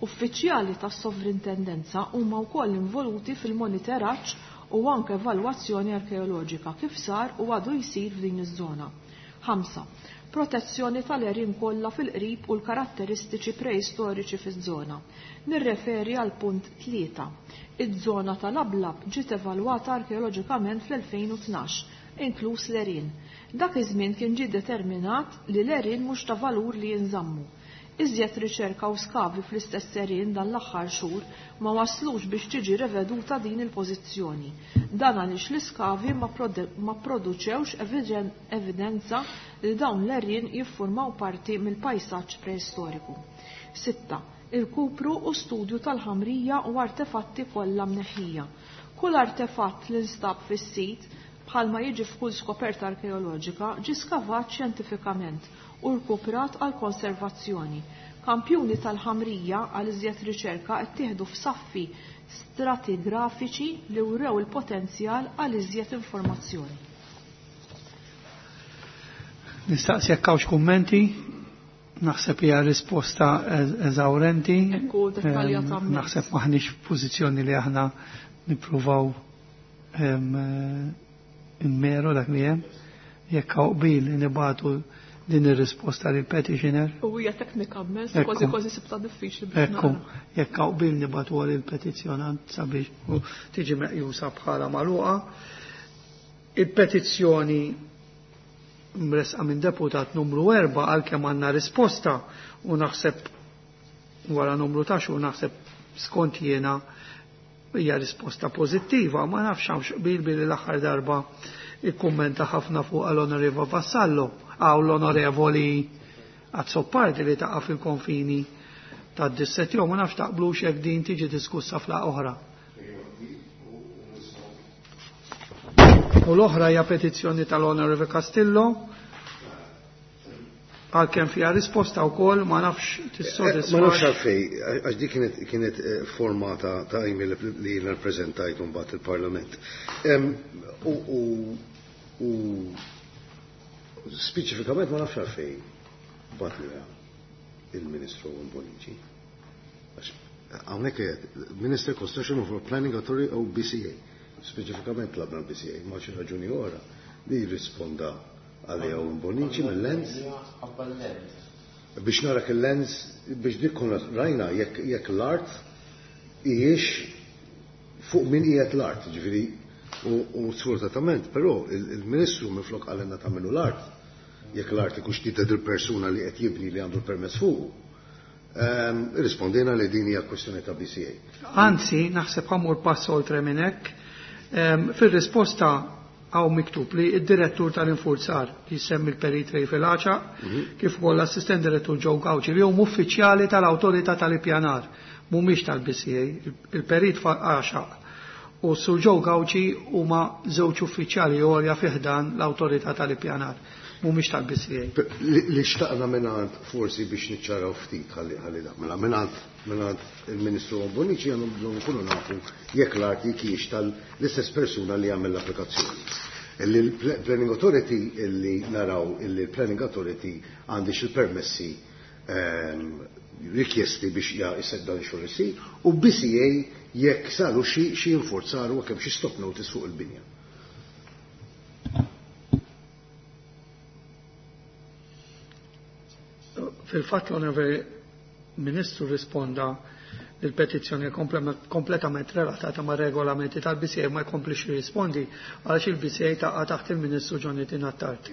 Uffiċjali tas-sovrintendenza huma wkoll involuti fil-monitoraġġ u anke evalwazzjoni arkeoloġika kif sar u għadu jsir f'din iż-żona. 5. Protezzjoni tal-għerien kollha fil-qrib u l-karatteristiċi preistoriċi fiż-żona. Nirreferi għal punt 3. Iż-żona tal-Ablab ġiet evalwata arkeoloġikament fl-2012, inkluż l-għerien. Dak iż-żmien kien ġie determinat li l-għerien mhux ta' valur li jinżammu. Iżjed riċerka u skavi fl-istess għerien dan l-aħħar xhur ma waslux biex tiġi reveduta din il-pożizzjoni. Dan għaliex l-iskavi ma produċewx evidenza li dawn l-għerien jiffurmaw parti mill-pajsaġġ preistoriku. 6. Il-kupru u studju tal-ħamrija u artefatti kollha mneħħija. Kull artefatt li nstab fis-sit bħalma jiġi f'kull skoperta arkeoloġika ġie skavat xjentifikament u rkuprat għal konservazzjoni. Kampjuni tal-ħamrija għal iżjed riċerka ttieħdu f'saffi stratigrafiċi li wrew il-potenzjal għal iżjed informazzjoni. Nistaqsi jekk hawnx kummenti, naħseb hija risposta eżawrenti. Ekku, dettaljata immens. Naħseb m'aħniex f'pożizzjoni li aħna nippruvaw immeru dak li hemm. Jekk hawn qbil nibagħtu din ir-risposta lil petitioner. U hija teknika immens, kważi kważi sibta diffiċli biex Ekku, jekk hawn qbil nibagħtu lil petizzjonant sabiex tiġi meqjusa bħala magħluqa. Il-petizzjoni mresqa minn deputat numru 4 għalkemm għandna risposta u naħseb wara numru ta' xhur naħseb skont jiena hija risposta pożittiva, ma nafx hawnx qbil billi l-aħħar darba ikkummenta ħafna fuq l-Onorevoli Vassallo għaw l-Onorevoli Azzopardi li taqa' fil-konfini tad-disset jew ma nafx taqblux jekk din tiġi diskussa fla oħra. U l-oħra hija petizzjoni tal-Onorevoli Castillo għalkemm fiha risposta wkoll ma nafx tissodisfa. Ma nafx għalfej, għax di kienet forma ta' email li jiena ppreżentajt mbagħad il-Parlament. U speċifikament ma nafx għalfej batliha il-Ministru Bonnici. Hawnhekk qiegħed Minister Construction of Planning Authority u BCA. Speċifikament tlabna l-BCA, ma xi raġuni oħra li jirrisponda għalija u Bonici mill-lens. Biex narak il-lens, biex dik konna rajna jekk l-art hijiex fuq min qiegħed l-art, ġifieri u sfortunatament, però il-Ministru minflok qalilna tagħmlu l-art, jekk l-art ikunx tidher il-persuna li qed jibni li għandu l-permess fuqu. Rispondejna li din hija kwestjoni ta' BCA. Anzi, naħseb ħa mmur pass oltre minn hekk. Fir-risposta hawn miktub li id-direttur tal-infurzar li jsemmi l-Perit Ray Filaċa, kif ukoll l-assistent direttur Joe Gauci li huma uffiċjali tal-Awtorità tal-Ippjanar, mhumiex tal-BCA, il-Perit Għaxaq u Sur Joe Gauci huma żewġ uffiċjali għolja fi ħdan l-Awtorità tal-Ippjanar, mhumiex tal-BCA. Li xtaqna mingħand forsi biex niċċaraw ftit ħalli ħalli da. Mela mingħand il-Ministru Bonnici għandhom bżonn nkunu nafu jekk l-arti kiex tal-istess persuna li għamel l-applikazzjoni. Illi l-Planning Authority illi naraw illi l-Planning Authority għandix il-permessi rikjesti biex jised dan ix-xogħol isir u BCA jekk saru xi inforzaru u kemm xi stop notice fuq il-binja. Fil-fatt l-Onorevoli Ministru risponda il-petizzjoni kompletament relatata ma' regolamenti tal-BCA ma jkomplix jirrispondi għaliex il-BCA taqa' taħt il-Ministru Jonathan Attard.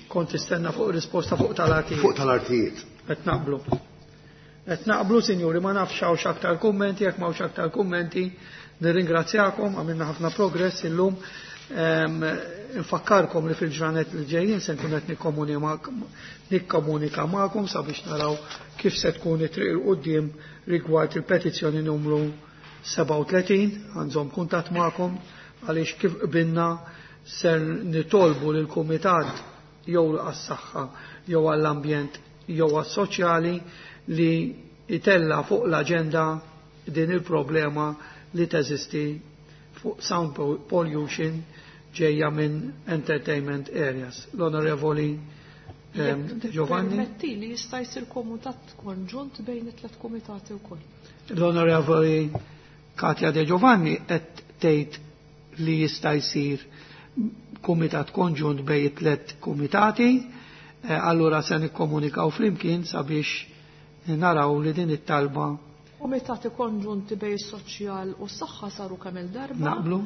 Kont tistenna fuq risposta fuq tal-artijiet. Fuq tal-artijiet. Qed naqblu. Qed naqblu, sinjuri, ma nafx hawnx aktar kummenti, jekk m'hawnx aktar kummenti, nirringrazzjakom, għamilna ħafna progress illum. Infakkarkom li fil-ġranet li ġejjin se nkun qed nikkomunika magħkom sabiex naraw kif se tkun it-triq il quddiem rigward il-petizzjoni numru 37, għandhom kuntatt magħkom għaliex kif qbilna ser nitolbu lil kumitat jew għas-saħħa jew għall-ambjent jew għas-soċjali li itella fuq l-aġenda din il-problema li teżisti fuq sound pollution ġejja minn entertainment areas. L-Onorevoli De Giovanni. Permetti li jista' jsir komitat konġunt bejn it-tliet kumitati wkoll. L-Onorevoli Katja De Giovanni qed tgħid li jista' jsir kumitat konġunt bejn it-tliet kumitati, allura se nikkomunikaw flimkien sabiex naraw li din it-talba. Kumitati konġunti bejn is-soċjal u s-saħħa saru kemm il-darba. Naqblu.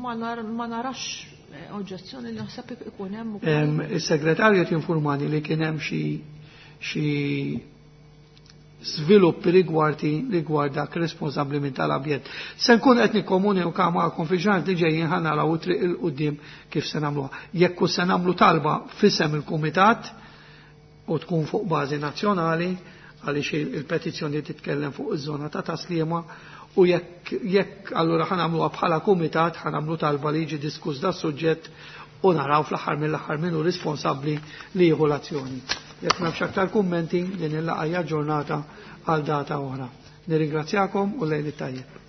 Ma narax oġġezzjoni li naħseb ikun hemm ukoll. Is-segretarju qed jinformani li kien hemm xi żviluppi rigward dak responsabbli minn tal-ambjent. Se nkun qed nikkomunika magħkom fi ġranet li ġejjin ħa naraw it-triq il quddiem kif se nagħmluha. Jekk hu se nagħmlu talba f'isem il-kumitat u tkun fuq bażi nazzjonali għaliex il-petizzjoni titkellem fuq iż-żona ta' taslima u jekk allura ħa nagħmluha bħala kumitat ħa nagħmlu talba li jiġi diskuss da suġġett u naraw fl-aħħar mill-aħħar min hu responsabbli li jieħu l-azzjoni. Jekk m'hemmx aktar kummenti din il-laqgħa hija ġurnata għal data oħra. Nirringrazzjakom u lejl it-tajjeb.